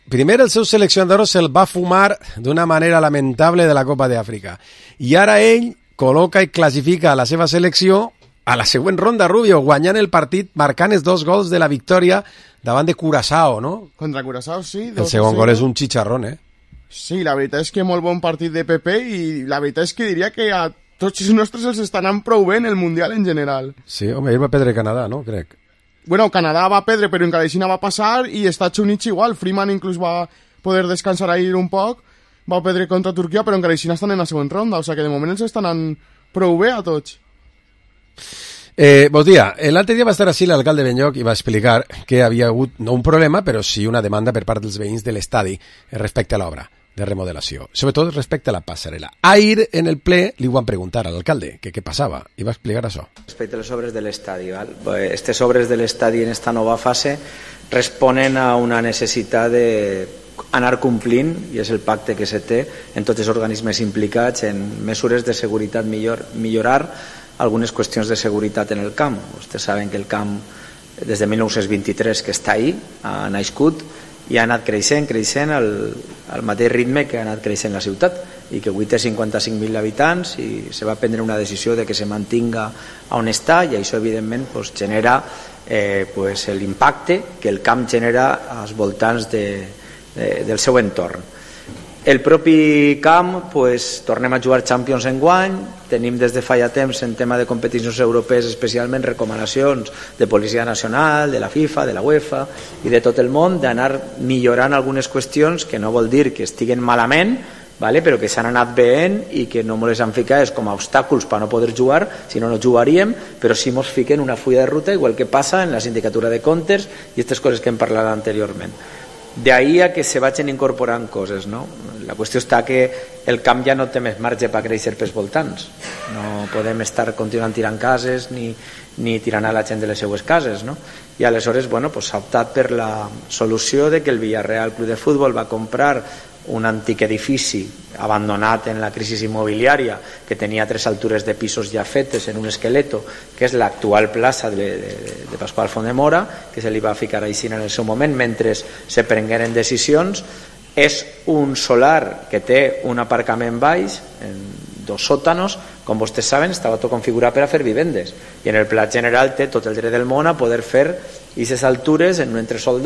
primer el seu seleccionador se'l va fumar d'una manera lamentable de la Copa d'Àfrica. I ara ell col·loca i classifica la seva selecció a la següent ronda, Rubio, guanyant el partit, marcant els 2 gols de la victòria davant de Curaçao, no? Contra Curaçao, sí. El segon gol és un chicharrón, Sí, la veritat és que molt bon partit de PP i la veritat és que diria que a tots els nostres els estan anant prou bé en el Mundial en general. Sí, home, ell va perdre Canadà, no? Crec. Bueno, Canadà va perdre, però en Caleixina va passar i Estats Units igual. Freeman inclús va poder descansar ahir un poc, va perdre contra Turquia, però en Caleixina estan en la següent ronda, o sigui que de moment els estan anant prou bé a tots. Bon dia. L'altre dia va estar així l'alcalde Benlloc i va explicar que havia hagut no un problema, però sí una demanda per part dels veïns de l'estadi respecte a l'obra de remodelació, sobretot respecte a la passarel·la. Ahir en el ple li ho van preguntar a l'alcalde que què passava i va explicar això. Respecte a les obres de l'estadi, aquestes obres de l'estadi en esta nova fase responen a una necessitat d'anar complint, i és el pacte que se té en tots els organismes implicats en mesures de seguretat, millorar algunes qüestions de seguretat en el camp. Vostès saben que el camp des de 1923 que està ahí, ha nascut i ha anat creixent al mateix ritme que ha anat creixent la ciutat i que avui té 55.000 habitants i se va prendre una decisió de que se mantinga on està i això evidentment genera l'impacte que el camp genera als voltants del seu entorn. El propi camp, tornem a jugar Champions enguany, tenim des de fa ja temps en tema de competicions europees especialment recomanacions de Policia Nacional, de la FIFA, de la UEFA i de tot el món d'anar millorant algunes qüestions que no vol dir que estiguen malament, però que s'han anat veient i que no ens han ficat com a obstàculs per no poder jugar, si no jugaríem, però sí ens fiquen una fulla de ruta, igual que passa en la sindicatura de comptes i aquestes coses que hem parlat anteriorment. D'ahir a que se vagin incorporant coses, no? La qüestió està que el camp ja no té més marge per créixer pels voltants. No podem estar continuant tirant cases ni tirant a la gent de les seues cases, no? I aleshores s'ha optat per la solució de que el Villarreal Club de Futbol va comprar un antic edifici abandonat en la crisi immobiliària que tenia 3 altures de pisos ja fetes en un esqueleto, que és l'actual plaça de Pasqual Font de Mora, que se li va ficar així en el seu moment mentre se prengueren decisions. És un solar que té un aparcament baix en 2 sòtanos, com vostès saben estava tot configurat per a fer vivendes i en el pla general té tot el dret del món a poder fer aquestes altures en un entresòl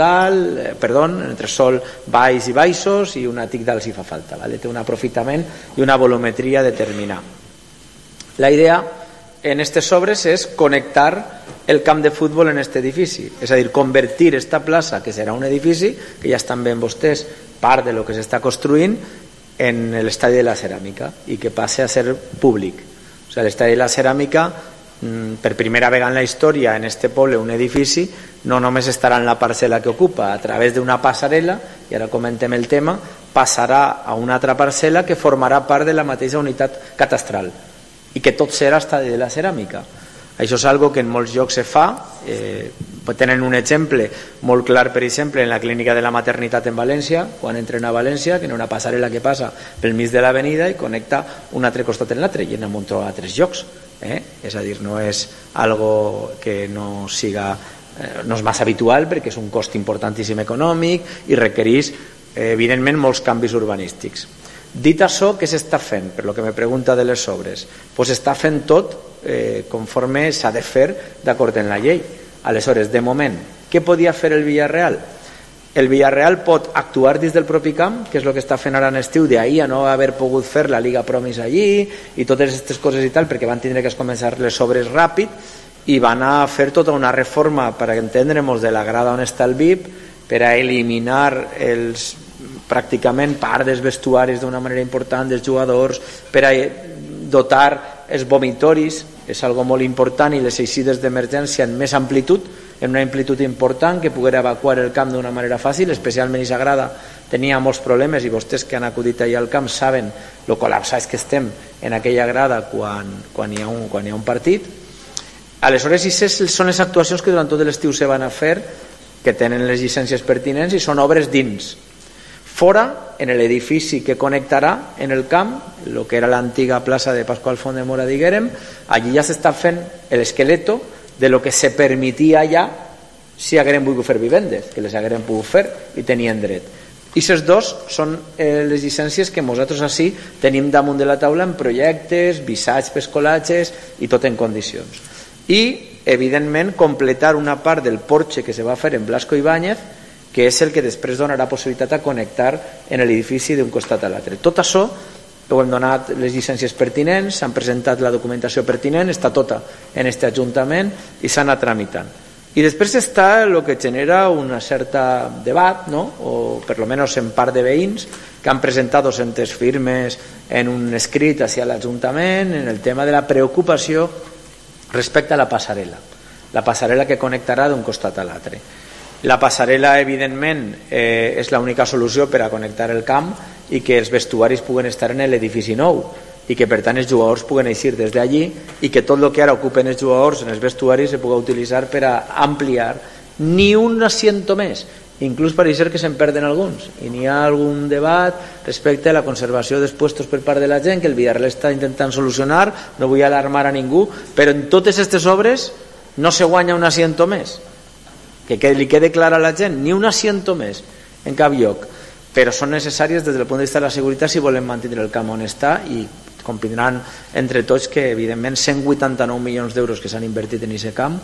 baix i baixos i un àtic dalt si fa falta, té un aprofitament i una volumetria determinada. La idea en aquestes obres és connectar el camp de futbol en aquest edifici, és a dir, convertir esta plaça, que serà un edifici que ja estan veient vostès part de lo que s'està construint, en l'estadi de la ceràmica i que passi a ser públic. O sigui, l'estadi de la ceràmica, per primera vegada en la història en este poble, un edifici no només estarà en la parcel·la que ocupa, a través d'una passarel·la, i ara comentem el tema, passarà a una altra parcel·la que formarà part de la mateixa unitat catastral i que tot serà estadi de la ceràmica. Això és algo que en molts llocs se fa, tenen un exemple molt clar, per exemple, en la clínica de la maternitat en València, quan entren a València, que hi ha una passarel·la que passa pel mig de l'avenida i connecta un altre costat en l'altre, i en un trobar a 3 llocs. És a dir, no és algo que no és massa habitual, perquè és un cost importantíssim econòmic i requereix, evidentment, molts canvis urbanístics. Dit això, què s'està fent? Per lo que me pregunta de les obres, s'està fent tot conforme s'ha de fer d'acord amb la llei. Aleshores, de moment, què podia fer el Villarreal? El Villarreal pot actuar dins del propi camp, que és el que està fent ara en estiu, d'ahir a no haver pogut fer la Liga Promis allí i totes aquestes coses i tal, perquè van tindre que començar les obres ràpid i van a fer tota una reforma, per entendre'ns, de la grada on està el VIP, per a eliminar pràcticament part dels vestuaris d'una manera important dels jugadors, per a dotar els vomitoris, és algo molt important, i les eixides d'emergència en més amplitud, en una amplitud important, que poguera evacuar el camp d'una manera fàcil, especialment i Sagrada tenia molts problemes, i vostès que han acudit allà al camp saben lo col·lapsats que estem en aquella grada quan hi ha un partit. Aleshores, aquestes són les actuacions que durant tot l'estiu se van a fer, que tenen les llicències pertinents i són obres dins. Fora, en l'edifici que connectarà en el camp, el que era l'antiga plaça de Pasqual Font de Mora, diguérem, allí ja s'està fent l'esqueleto de lo que se permetia allà si hagueren volgut fer vivendes, que les hagueren pogut fer i tenien dret. I aquests dos són les llicències que nosaltres així tenim damunt de la taula en projectes, visats per colatges i tot en condicions. I, evidentment, completar una part del porxe que se va fer en Blasco Ibáñez, que és el que després donarà possibilitat a connectar en l'edifici d'un costat a l'altre. Tot això ho hem donat les llicències pertinents, s'han presentat la documentació pertinent, està tota en aquest Ajuntament i s'ha anat tramitant. I després està el que genera una certa debat, no? O per lo menos en part de veïns que han presentat 200 firmes en un escrit hacia l'Ajuntament en el tema de la preocupació respecte a la passarel·la que connectarà d'un costat a l'altre. La passarel·la, evidentment, és l'única solució per a connectar el camp i que els vestuaris puguen estar en l'edifici nou i que, per tant, els jugadors puguen eixir des d'allí i que tot el que ara ocupen els jugadors en els vestuaris se pugui utilitzar per a ampliar ni un asiento més. Inclús pareix ser que se'n perden alguns i n'hi ha algun debat respecte a la conservació dels puestos per part de la gent que el Villarreal està intentant solucionar, no vull alarmar a ningú, però en totes aquestes obres no se guanya un asiento més, que li quede clar a la gent, ni un asiento més en cap lloc, però són necessàries des del punt de vista de la seguretat si volem mantenir el camp on està i comprendran entre tots que evidentment 189 milions d'euros que s'han invertit en aquest camp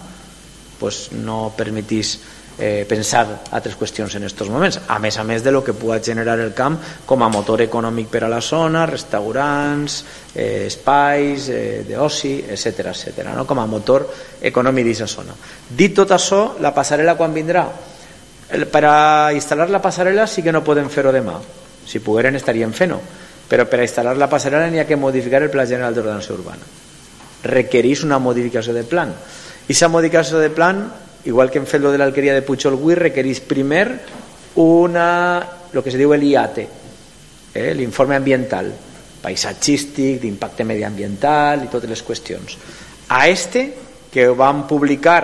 pues no permetís pensar altres qüestions en aquests moments, a més de lo que pugui generar el camp com a motor econòmic per a la zona, restaurants, espais d'oci, etc., no? Com a motor econòmic d'aquesta zona. Dit tot això, la passarel·la quan vindrà? Per a instal·lar la passarel·la sí que no podem fer-ho demà, si pogueren estaríem fent-ho, però per a instal·lar la passarel·la n'hi ha que modificar el Pla General d'Ordenació Urbana. Requereix una modificació de plan. I aquesta modificació de plan, igual que hem fet lo de l'alqueria de Puigolguí, requereix primer lo que se diu l'IAT, l'informe ambiental, paisatgístic, d'impacte mediambiental i totes les qüestions. A que vam publicar,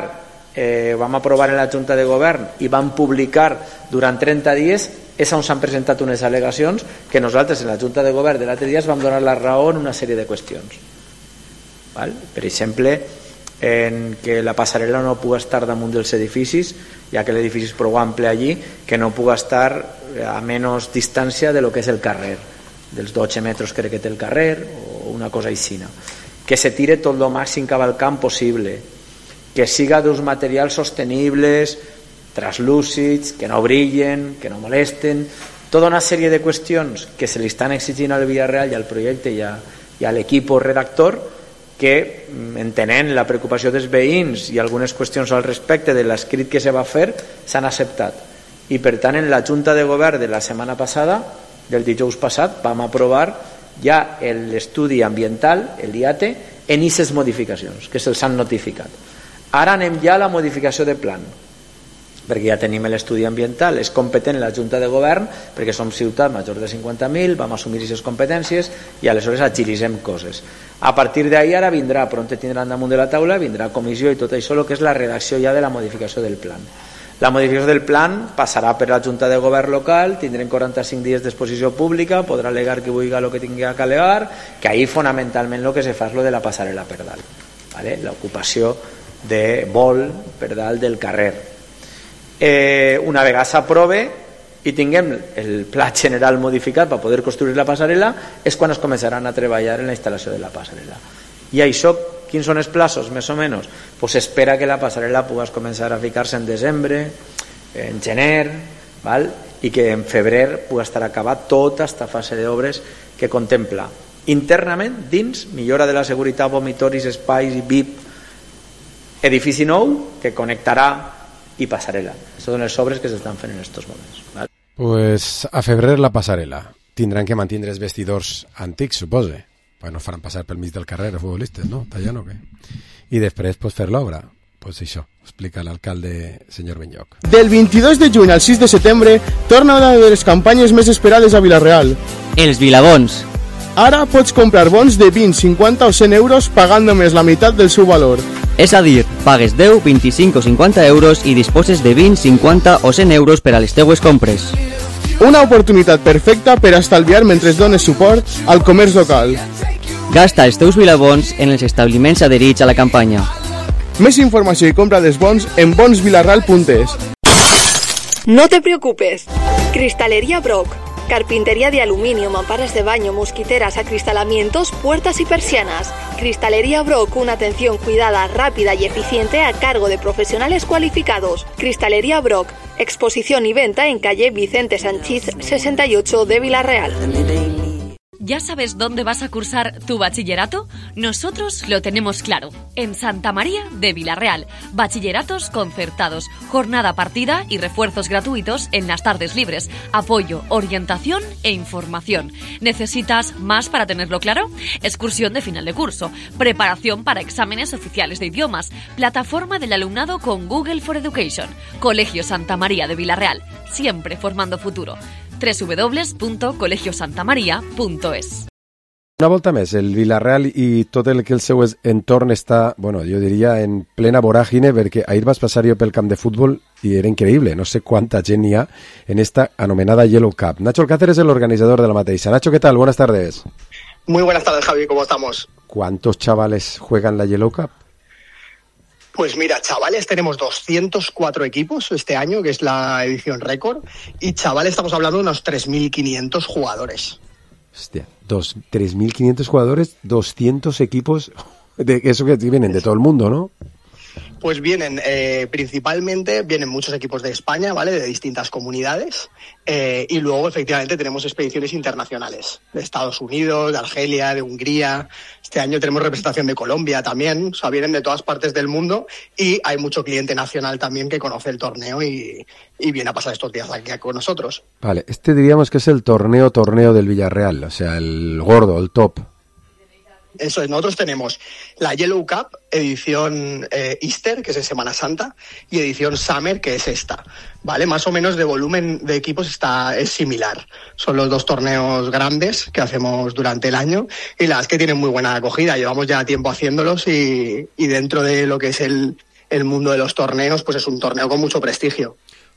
vam aprovar en la Junta de Govern i vam publicar durant 30 dies, és on s'han presentat unes al·legacions que nosaltres en la Junta de Govern de l'altre dia vam donar la raó en una sèrie de qüestions. Per exemple, en que la passarel·la no pugui estar damunt dels edificis, ja que l'edifici és prou ample allí, que no pugui estar a menys distància de lo que és el carrer, dels 12 metres crec que té el carrer o una cosa així, que se tire tot el màxim cap al camp possible, que siga d'uns materials sostenibles, translúcids, que no brillen, que no molesten, tota una sèrie de qüestions que se li estan exigint al Villarreal i al projecte i a l'equip redactor, que entenent la preocupació dels veïns i algunes qüestions al respecte de l'escrit que se va fer s'han acceptat i per tant en la Junta de Govern de la setmana passada, del dijous passat, vam aprovar ja l'estudi ambiental, l'IAT, en aquestes modificacions que se'ls han notificat. Ara anem ja a la modificació de plan, perquè ja tenim l'estudi ambiental, és competent la Junta de Govern perquè som ciutat major de 50.000, vam assumir aquestes competències i aleshores agilitzem coses. A partir d'ahir ara vindrà, pront tindran damunt de la taula, vindrà comissió i tot això, el que és la redacció ja de la modificació del plan. La modificació del plan passarà per la Junta de Govern local, tindrem 45 dies d'exposició pública, podrà alegar que vulgui el que tingui que alegar, que ahir fonamentalment el que se fa és lo de la passarel·la per dalt, l'ocupació de vol per dalt del carrer. Una vegada s'aprove i tinguem el pla general modificat per poder construir la passarel·la és quan es començaran a treballar en la instal·lació de la passarel·la. I això, quins són els plazos més o menys? Pues s'espera que la passarel·la pugui començar a ficar-se en desembre, en gener, i que en febrer pugui estar acabat tota aquesta fase d'obres que contempla internament dins millora de la seguretat, vomitoris, espais i VIP, edifici nou que connectarà i passarel·la. Són les obres que s'estan fent en aquests moments. Pues a febrer la passarel·la. Tindran que mantenir els vestidors antics, supose. Pues no faran passar pel mig del carrer els futbolistes, no? Tallant o què? I després pues, fer l'obra. Pues això, explica l'alcalde senyor Benlloc. Del 22 de juny al 6 de setembre torna una de les campanyes més esperades a Vila-real. Els Vilabons. Ara pots comprar bons de 20, 50 o 100 euros pagant només la meitat del seu valor. És a dir, pagues 10, 25 o 50 euros i disposes de 20, 50 o 100 euros per a les teues compres. Una oportunitat perfecta per estalviar mentre dones suport al comerç local. Gasta els teus Vilabons en els establiments adherits a la campanya. Més informació i compra dels bons en bonsvilarral.es. No te preocupes. Cristalería Brock. Carpintería de aluminio, mamparas de baño, mosquiteras, acristalamientos, puertas y persianas. Cristalería Brock, una atención cuidada, rápida y eficiente a cargo de profesionales cualificados. Cristalería Brock, exposición y venta en calle Vicente Sanchís 68 de Villarreal. ¿Ya sabes dónde vas a cursar tu bachillerato? Nosotros lo tenemos claro. En Santa María de Villarreal. Bachilleratos concertados, jornada partida y refuerzos gratuitos en las tardes libres. Apoyo, orientación e información. ¿Necesitas más para tenerlo claro? Excursión de final de curso. Preparación para exámenes oficiales de idiomas. Plataforma del alumnado con Google for Education. Colegio Santa María de Villarreal. Siempre formando futuro. www.colegiosantamaria.es. Una volta més, el Villarreal i tot el que el seu entorn està, bueno, jo diria, en plena voràgine, perquè ahir vas passar jo pel camp de futbol i era increïble, no sé quanta gent hi ha en esta anomenada Yellow Cup. Nacho Alcácer es el organizador de la mateixa. Nacho, ¿qué tal? Buenas tardes. Muy buenas tardes, Javi, ¿cómo estamos? ¿Cuántos chavales juegan la Yellow Cup? Pues mira, chavales, tenemos 204 equipos este año, que es la edición récord, y chavales, estamos hablando de unos 3.500 jugadores. Hostia, 3.500 jugadores, 200 equipos, de eso que vienen de todo el mundo, ¿no? Pues vienen, principalmente, vienen muchos equipos de España, ¿vale? De distintas comunidades, y luego, efectivamente, tenemos expediciones internacionales, de Estados Unidos, de Argelia, de Hungría. Este año tenemos representación de Colombia también, o sea, vienen de todas partes del mundo, y hay mucho cliente nacional también que conoce el torneo y viene a pasar estos días aquí con nosotros. Vale, este diríamos que es el torneo del Villarreal, o sea, el gordo, el top. Eso es, nosotros tenemos la Yellow Cup, edición Easter, que es en Semana Santa, y edición Summer, que es esta, ¿vale? Más o menos de volumen de equipos es similar. Son los dos torneos grandes que hacemos durante el año, y la verdad es que tienen muy buena acogida. Llevamos ya tiempo haciéndolos y dentro de lo que es el mundo de los torneos, pues es un torneo con mucho prestigio.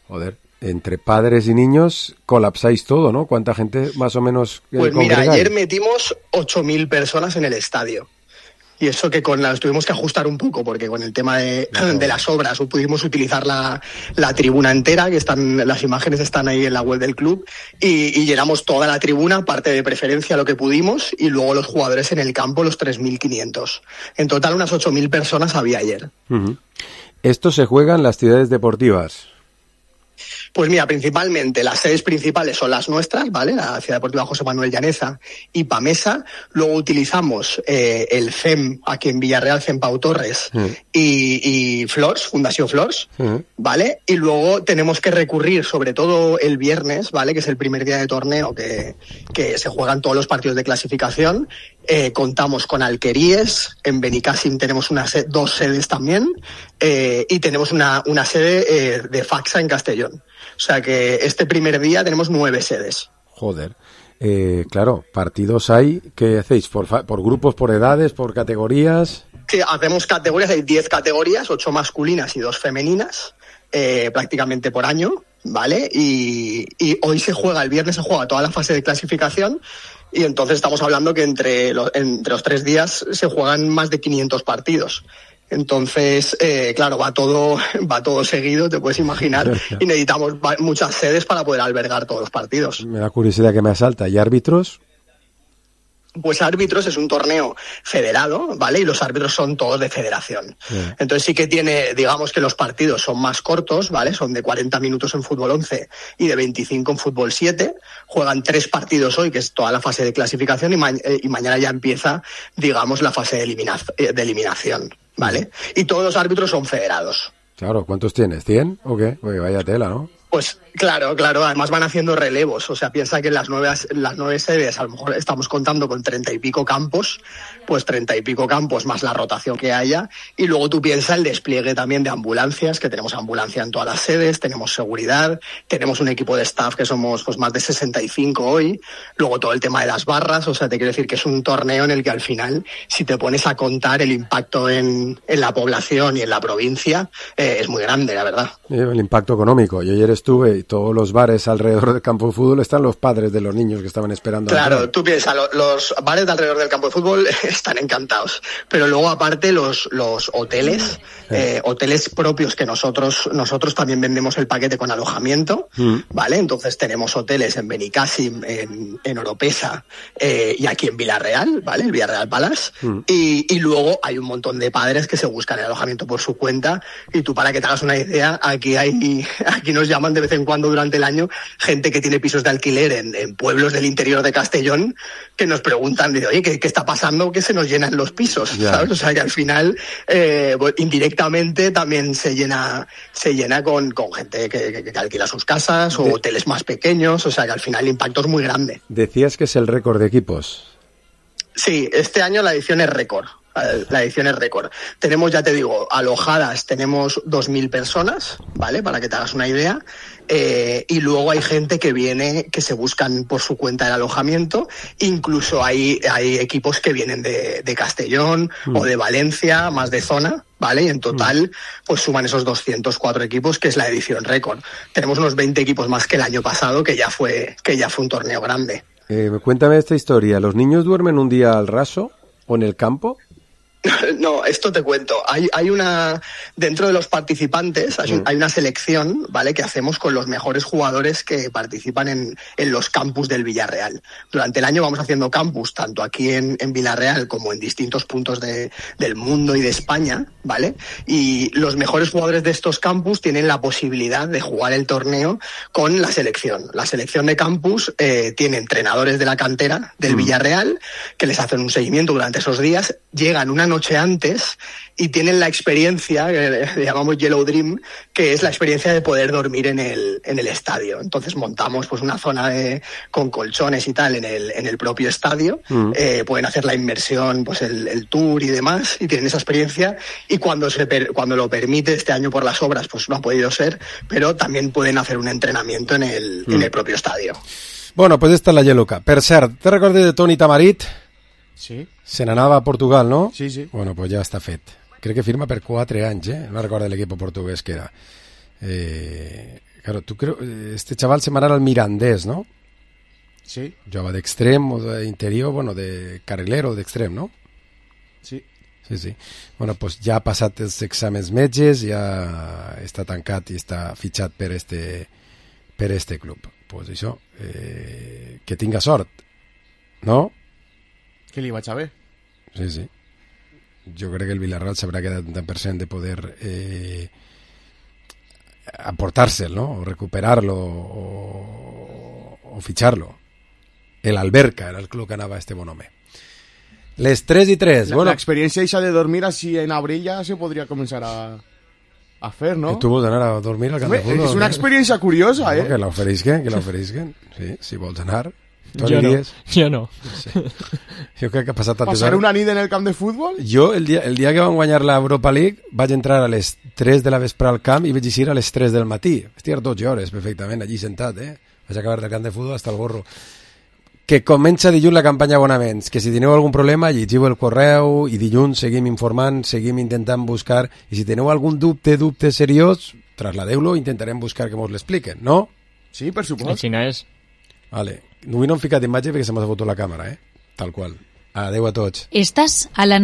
Joder, entre padres y niños colapsáis todo, ¿no? ¿Cuánta gente más o menos Pues mira, ayer metimos 8.000 personas en el estadio. Y eso que las tuvimos que ajustar un poco, porque con el tema de las obras pudimos utilizar la tribuna entera, que las imágenes están ahí en la web del club, y llenamos toda la tribuna, parte de preferencia lo que pudimos, y luego los jugadores en el campo, los 3.500. En total unas 8.000 personas había ayer. Uh-huh. Esto se juega en las ciudades deportivas. Pues mira, principalmente las sedes principales son las nuestras, ¿vale? La Ciudad Deportiva José Manuel Llaneza y Pamesa. Luego utilizamos el CEM aquí en Villarreal, CEM Pau Torres, y Flors, Fundación Flors, ¿vale? Y luego tenemos que recurrir, sobre todo el viernes, ¿vale? Que es el primer día de torneo que se juegan todos los partidos de clasificación. Contamos con Alqueríes, en Benicàssim tenemos dos sedes también, y tenemos una sede de Faxa en Castellón. O sea que este primer día tenemos 9 sedes. Joder. Claro, partidos hay. ¿Qué hacéis? ¿Por grupos, por edades, por categorías? Sí, hacemos categorías, hay 10 categorías, 8 masculinas y 2 femeninas, prácticamente por año, ¿vale? Y hoy el viernes se juega toda la fase de clasificación, y entonces estamos hablando que entre los 3 días se juegan más de 500 partidos. Entonces, claro, va todo seguido, te puedes imaginar, y necesitamos muchas sedes para poder albergar todos los partidos. Me da curiosidad que me asalta. ¿Y árbitros? Pues árbitros es un torneo federado, ¿vale? Y los árbitros son todos de federación. Yeah. Entonces sí que digamos que los partidos son más cortos, ¿vale? Son de 40 minutos en fútbol 11 y de 25 en fútbol 7. Juegan 3 partidos hoy, que es toda la fase de clasificación, y mañana ya empieza, digamos, la fase de eliminación, ¿vale? Y todos los árbitros son federados. Claro, ¿cuántos tienes? ¿100 o qué? Oye, vaya tela, ¿no? Pues claro, además van haciendo relevos, o sea, piensa que en las 9 sedes a lo mejor estamos contando con 30 y pico campos, pues 30 y pico campos más la rotación que haya, y luego tú piensas el despliegue también de ambulancias, que tenemos ambulancia en todas las sedes, tenemos seguridad, tenemos un equipo de staff que somos pues más de 65 hoy, luego todo el tema de las barras, o sea, te quiero decir que es un torneo en el que al final, si te pones a contar el impacto en la población y en la provincia, es muy grande, la verdad. El impacto económico. Yo ayer estuve y todos los bares alrededor del campo de fútbol están los padres de los niños que estaban esperando. Claro, tú piensas, los bares de alrededor del campo de fútbol están encantados, pero luego aparte los hoteles, hoteles propios que nosotros también vendemos el paquete con alojamiento, ¿vale? Entonces tenemos hoteles en Benicàssim, en Oropesa y aquí en Villarreal, ¿vale? El Villarreal Palace, y luego hay un montón de padres que se buscan el alojamiento por su cuenta, y tú, para que te hagas una idea, aquí nos llaman de vez en cuando durante el año gente que tiene pisos de alquiler en pueblos del interior de Castellón, que nos preguntan, oye, ¿qué está pasando? Que se nos llenan los pisos, ¿sabes? O sea, que al final, indirectamente también se llena con gente que alquila sus casas o hoteles más pequeños, o sea, que al final el impacto es muy grande. Decías que es el récord de equipos. Sí, este año la edición es récord. Tenemos, ya te digo, alojadas, tenemos 2.000 personas, ¿vale? Para que te hagas una idea. Y luego hay gente que viene, que se buscan por su cuenta el alojamiento. Incluso hay equipos que vienen de Castellón o de Valencia, más de zona, ¿vale? Y en total, pues suman esos 204 equipos, que es la edición récord. Tenemos unos 20 equipos más que el año pasado, que ya fue un torneo grande. Cuéntame esta historia. ¿Los niños duermen un día al raso o en el campo? No, esto te cuento. Hay una, dentro de los participantes, hay una selección, ¿vale? Que hacemos con los mejores jugadores que participan en los campus del Villarreal. Durante el año vamos haciendo campus, tanto aquí en Villarreal como en distintos puntos del mundo y de España, ¿vale? Y los mejores jugadores de estos campus tienen la posibilidad de jugar el torneo con la selección. La selección de campus tiene entrenadores de la cantera del Villarreal que les hacen un seguimiento durante esos días, llegan una noche antes y tienen la experiencia, que le llamamos Yellow Dream, que es la experiencia de poder dormir en el estadio. Entonces montamos pues una zona con colchones y tal en el propio estadio, pueden hacer la inmersión, pues el tour y demás, y tienen esa experiencia, y cuando lo permite, este año por las obras pues no ha podido ser, pero también pueden hacer un entrenamiento en el propio estadio. Bueno, pues esta és la Yellow Cup. Per cert, te recordes de Toni Tamarit? Sí. Se n'anava a Portugal, no? Sí, sí. Bueno, pues ja està fet. Crec que firma per 4 anys, no recordo l'equip portuguès que era. Claro, este chaval se m'anava al Mirandés, ¿no? Sí. Jugava d'extrem o d'interior, bueno, de carrilero o d'extrem, no? Sí. Sí. Bueno, pues ja ha passat els exàmens metges, ja està tancat i està fitxat per este club. Pues això, que tinga sort, no? Que li vaig a ver. Sí. Jo crec que el Villarreal s'haurà quedat un 10% de poder aportárselo, ¿no? O recuperarlo o ficharlo. El Alberca era el club que anava este bon home. Les 3:03. La experiencia esa de dormir así en abril ya se podría comenzar a hacer, ¿no? Tu vols anar a dormir al camp de futbol? Es una experiencia curiosa, no, que l'oferisquen. Sí, si vols anar. Jo no. Sí. Jo crec que ha passat tantes ¿Pasar una nit en el camp de fútbol? Jo, el dia que van guanyar l'Europa League, vaig entrar a les 3 de la vespre al camp i vaig eixir a les 3 del matí. Vaig estar 12 hores perfectament allí sentat, Vaig acabar del camp de futbol hasta el gorro. Que comença dilluns la campanya abonaments, que si teniu algun problema llegiu el correu i dilluns seguim informant, seguim intentant buscar, i si teniu algun dubte seriós, trasladeu-lo, intentarem buscar que mos l'expliquen, no? Sí, per supost. Així és. Vale. Avui no hem ficat imatge perquè se m'ha fotut la càmera, tal qual. Adeu a tots. Estàs a la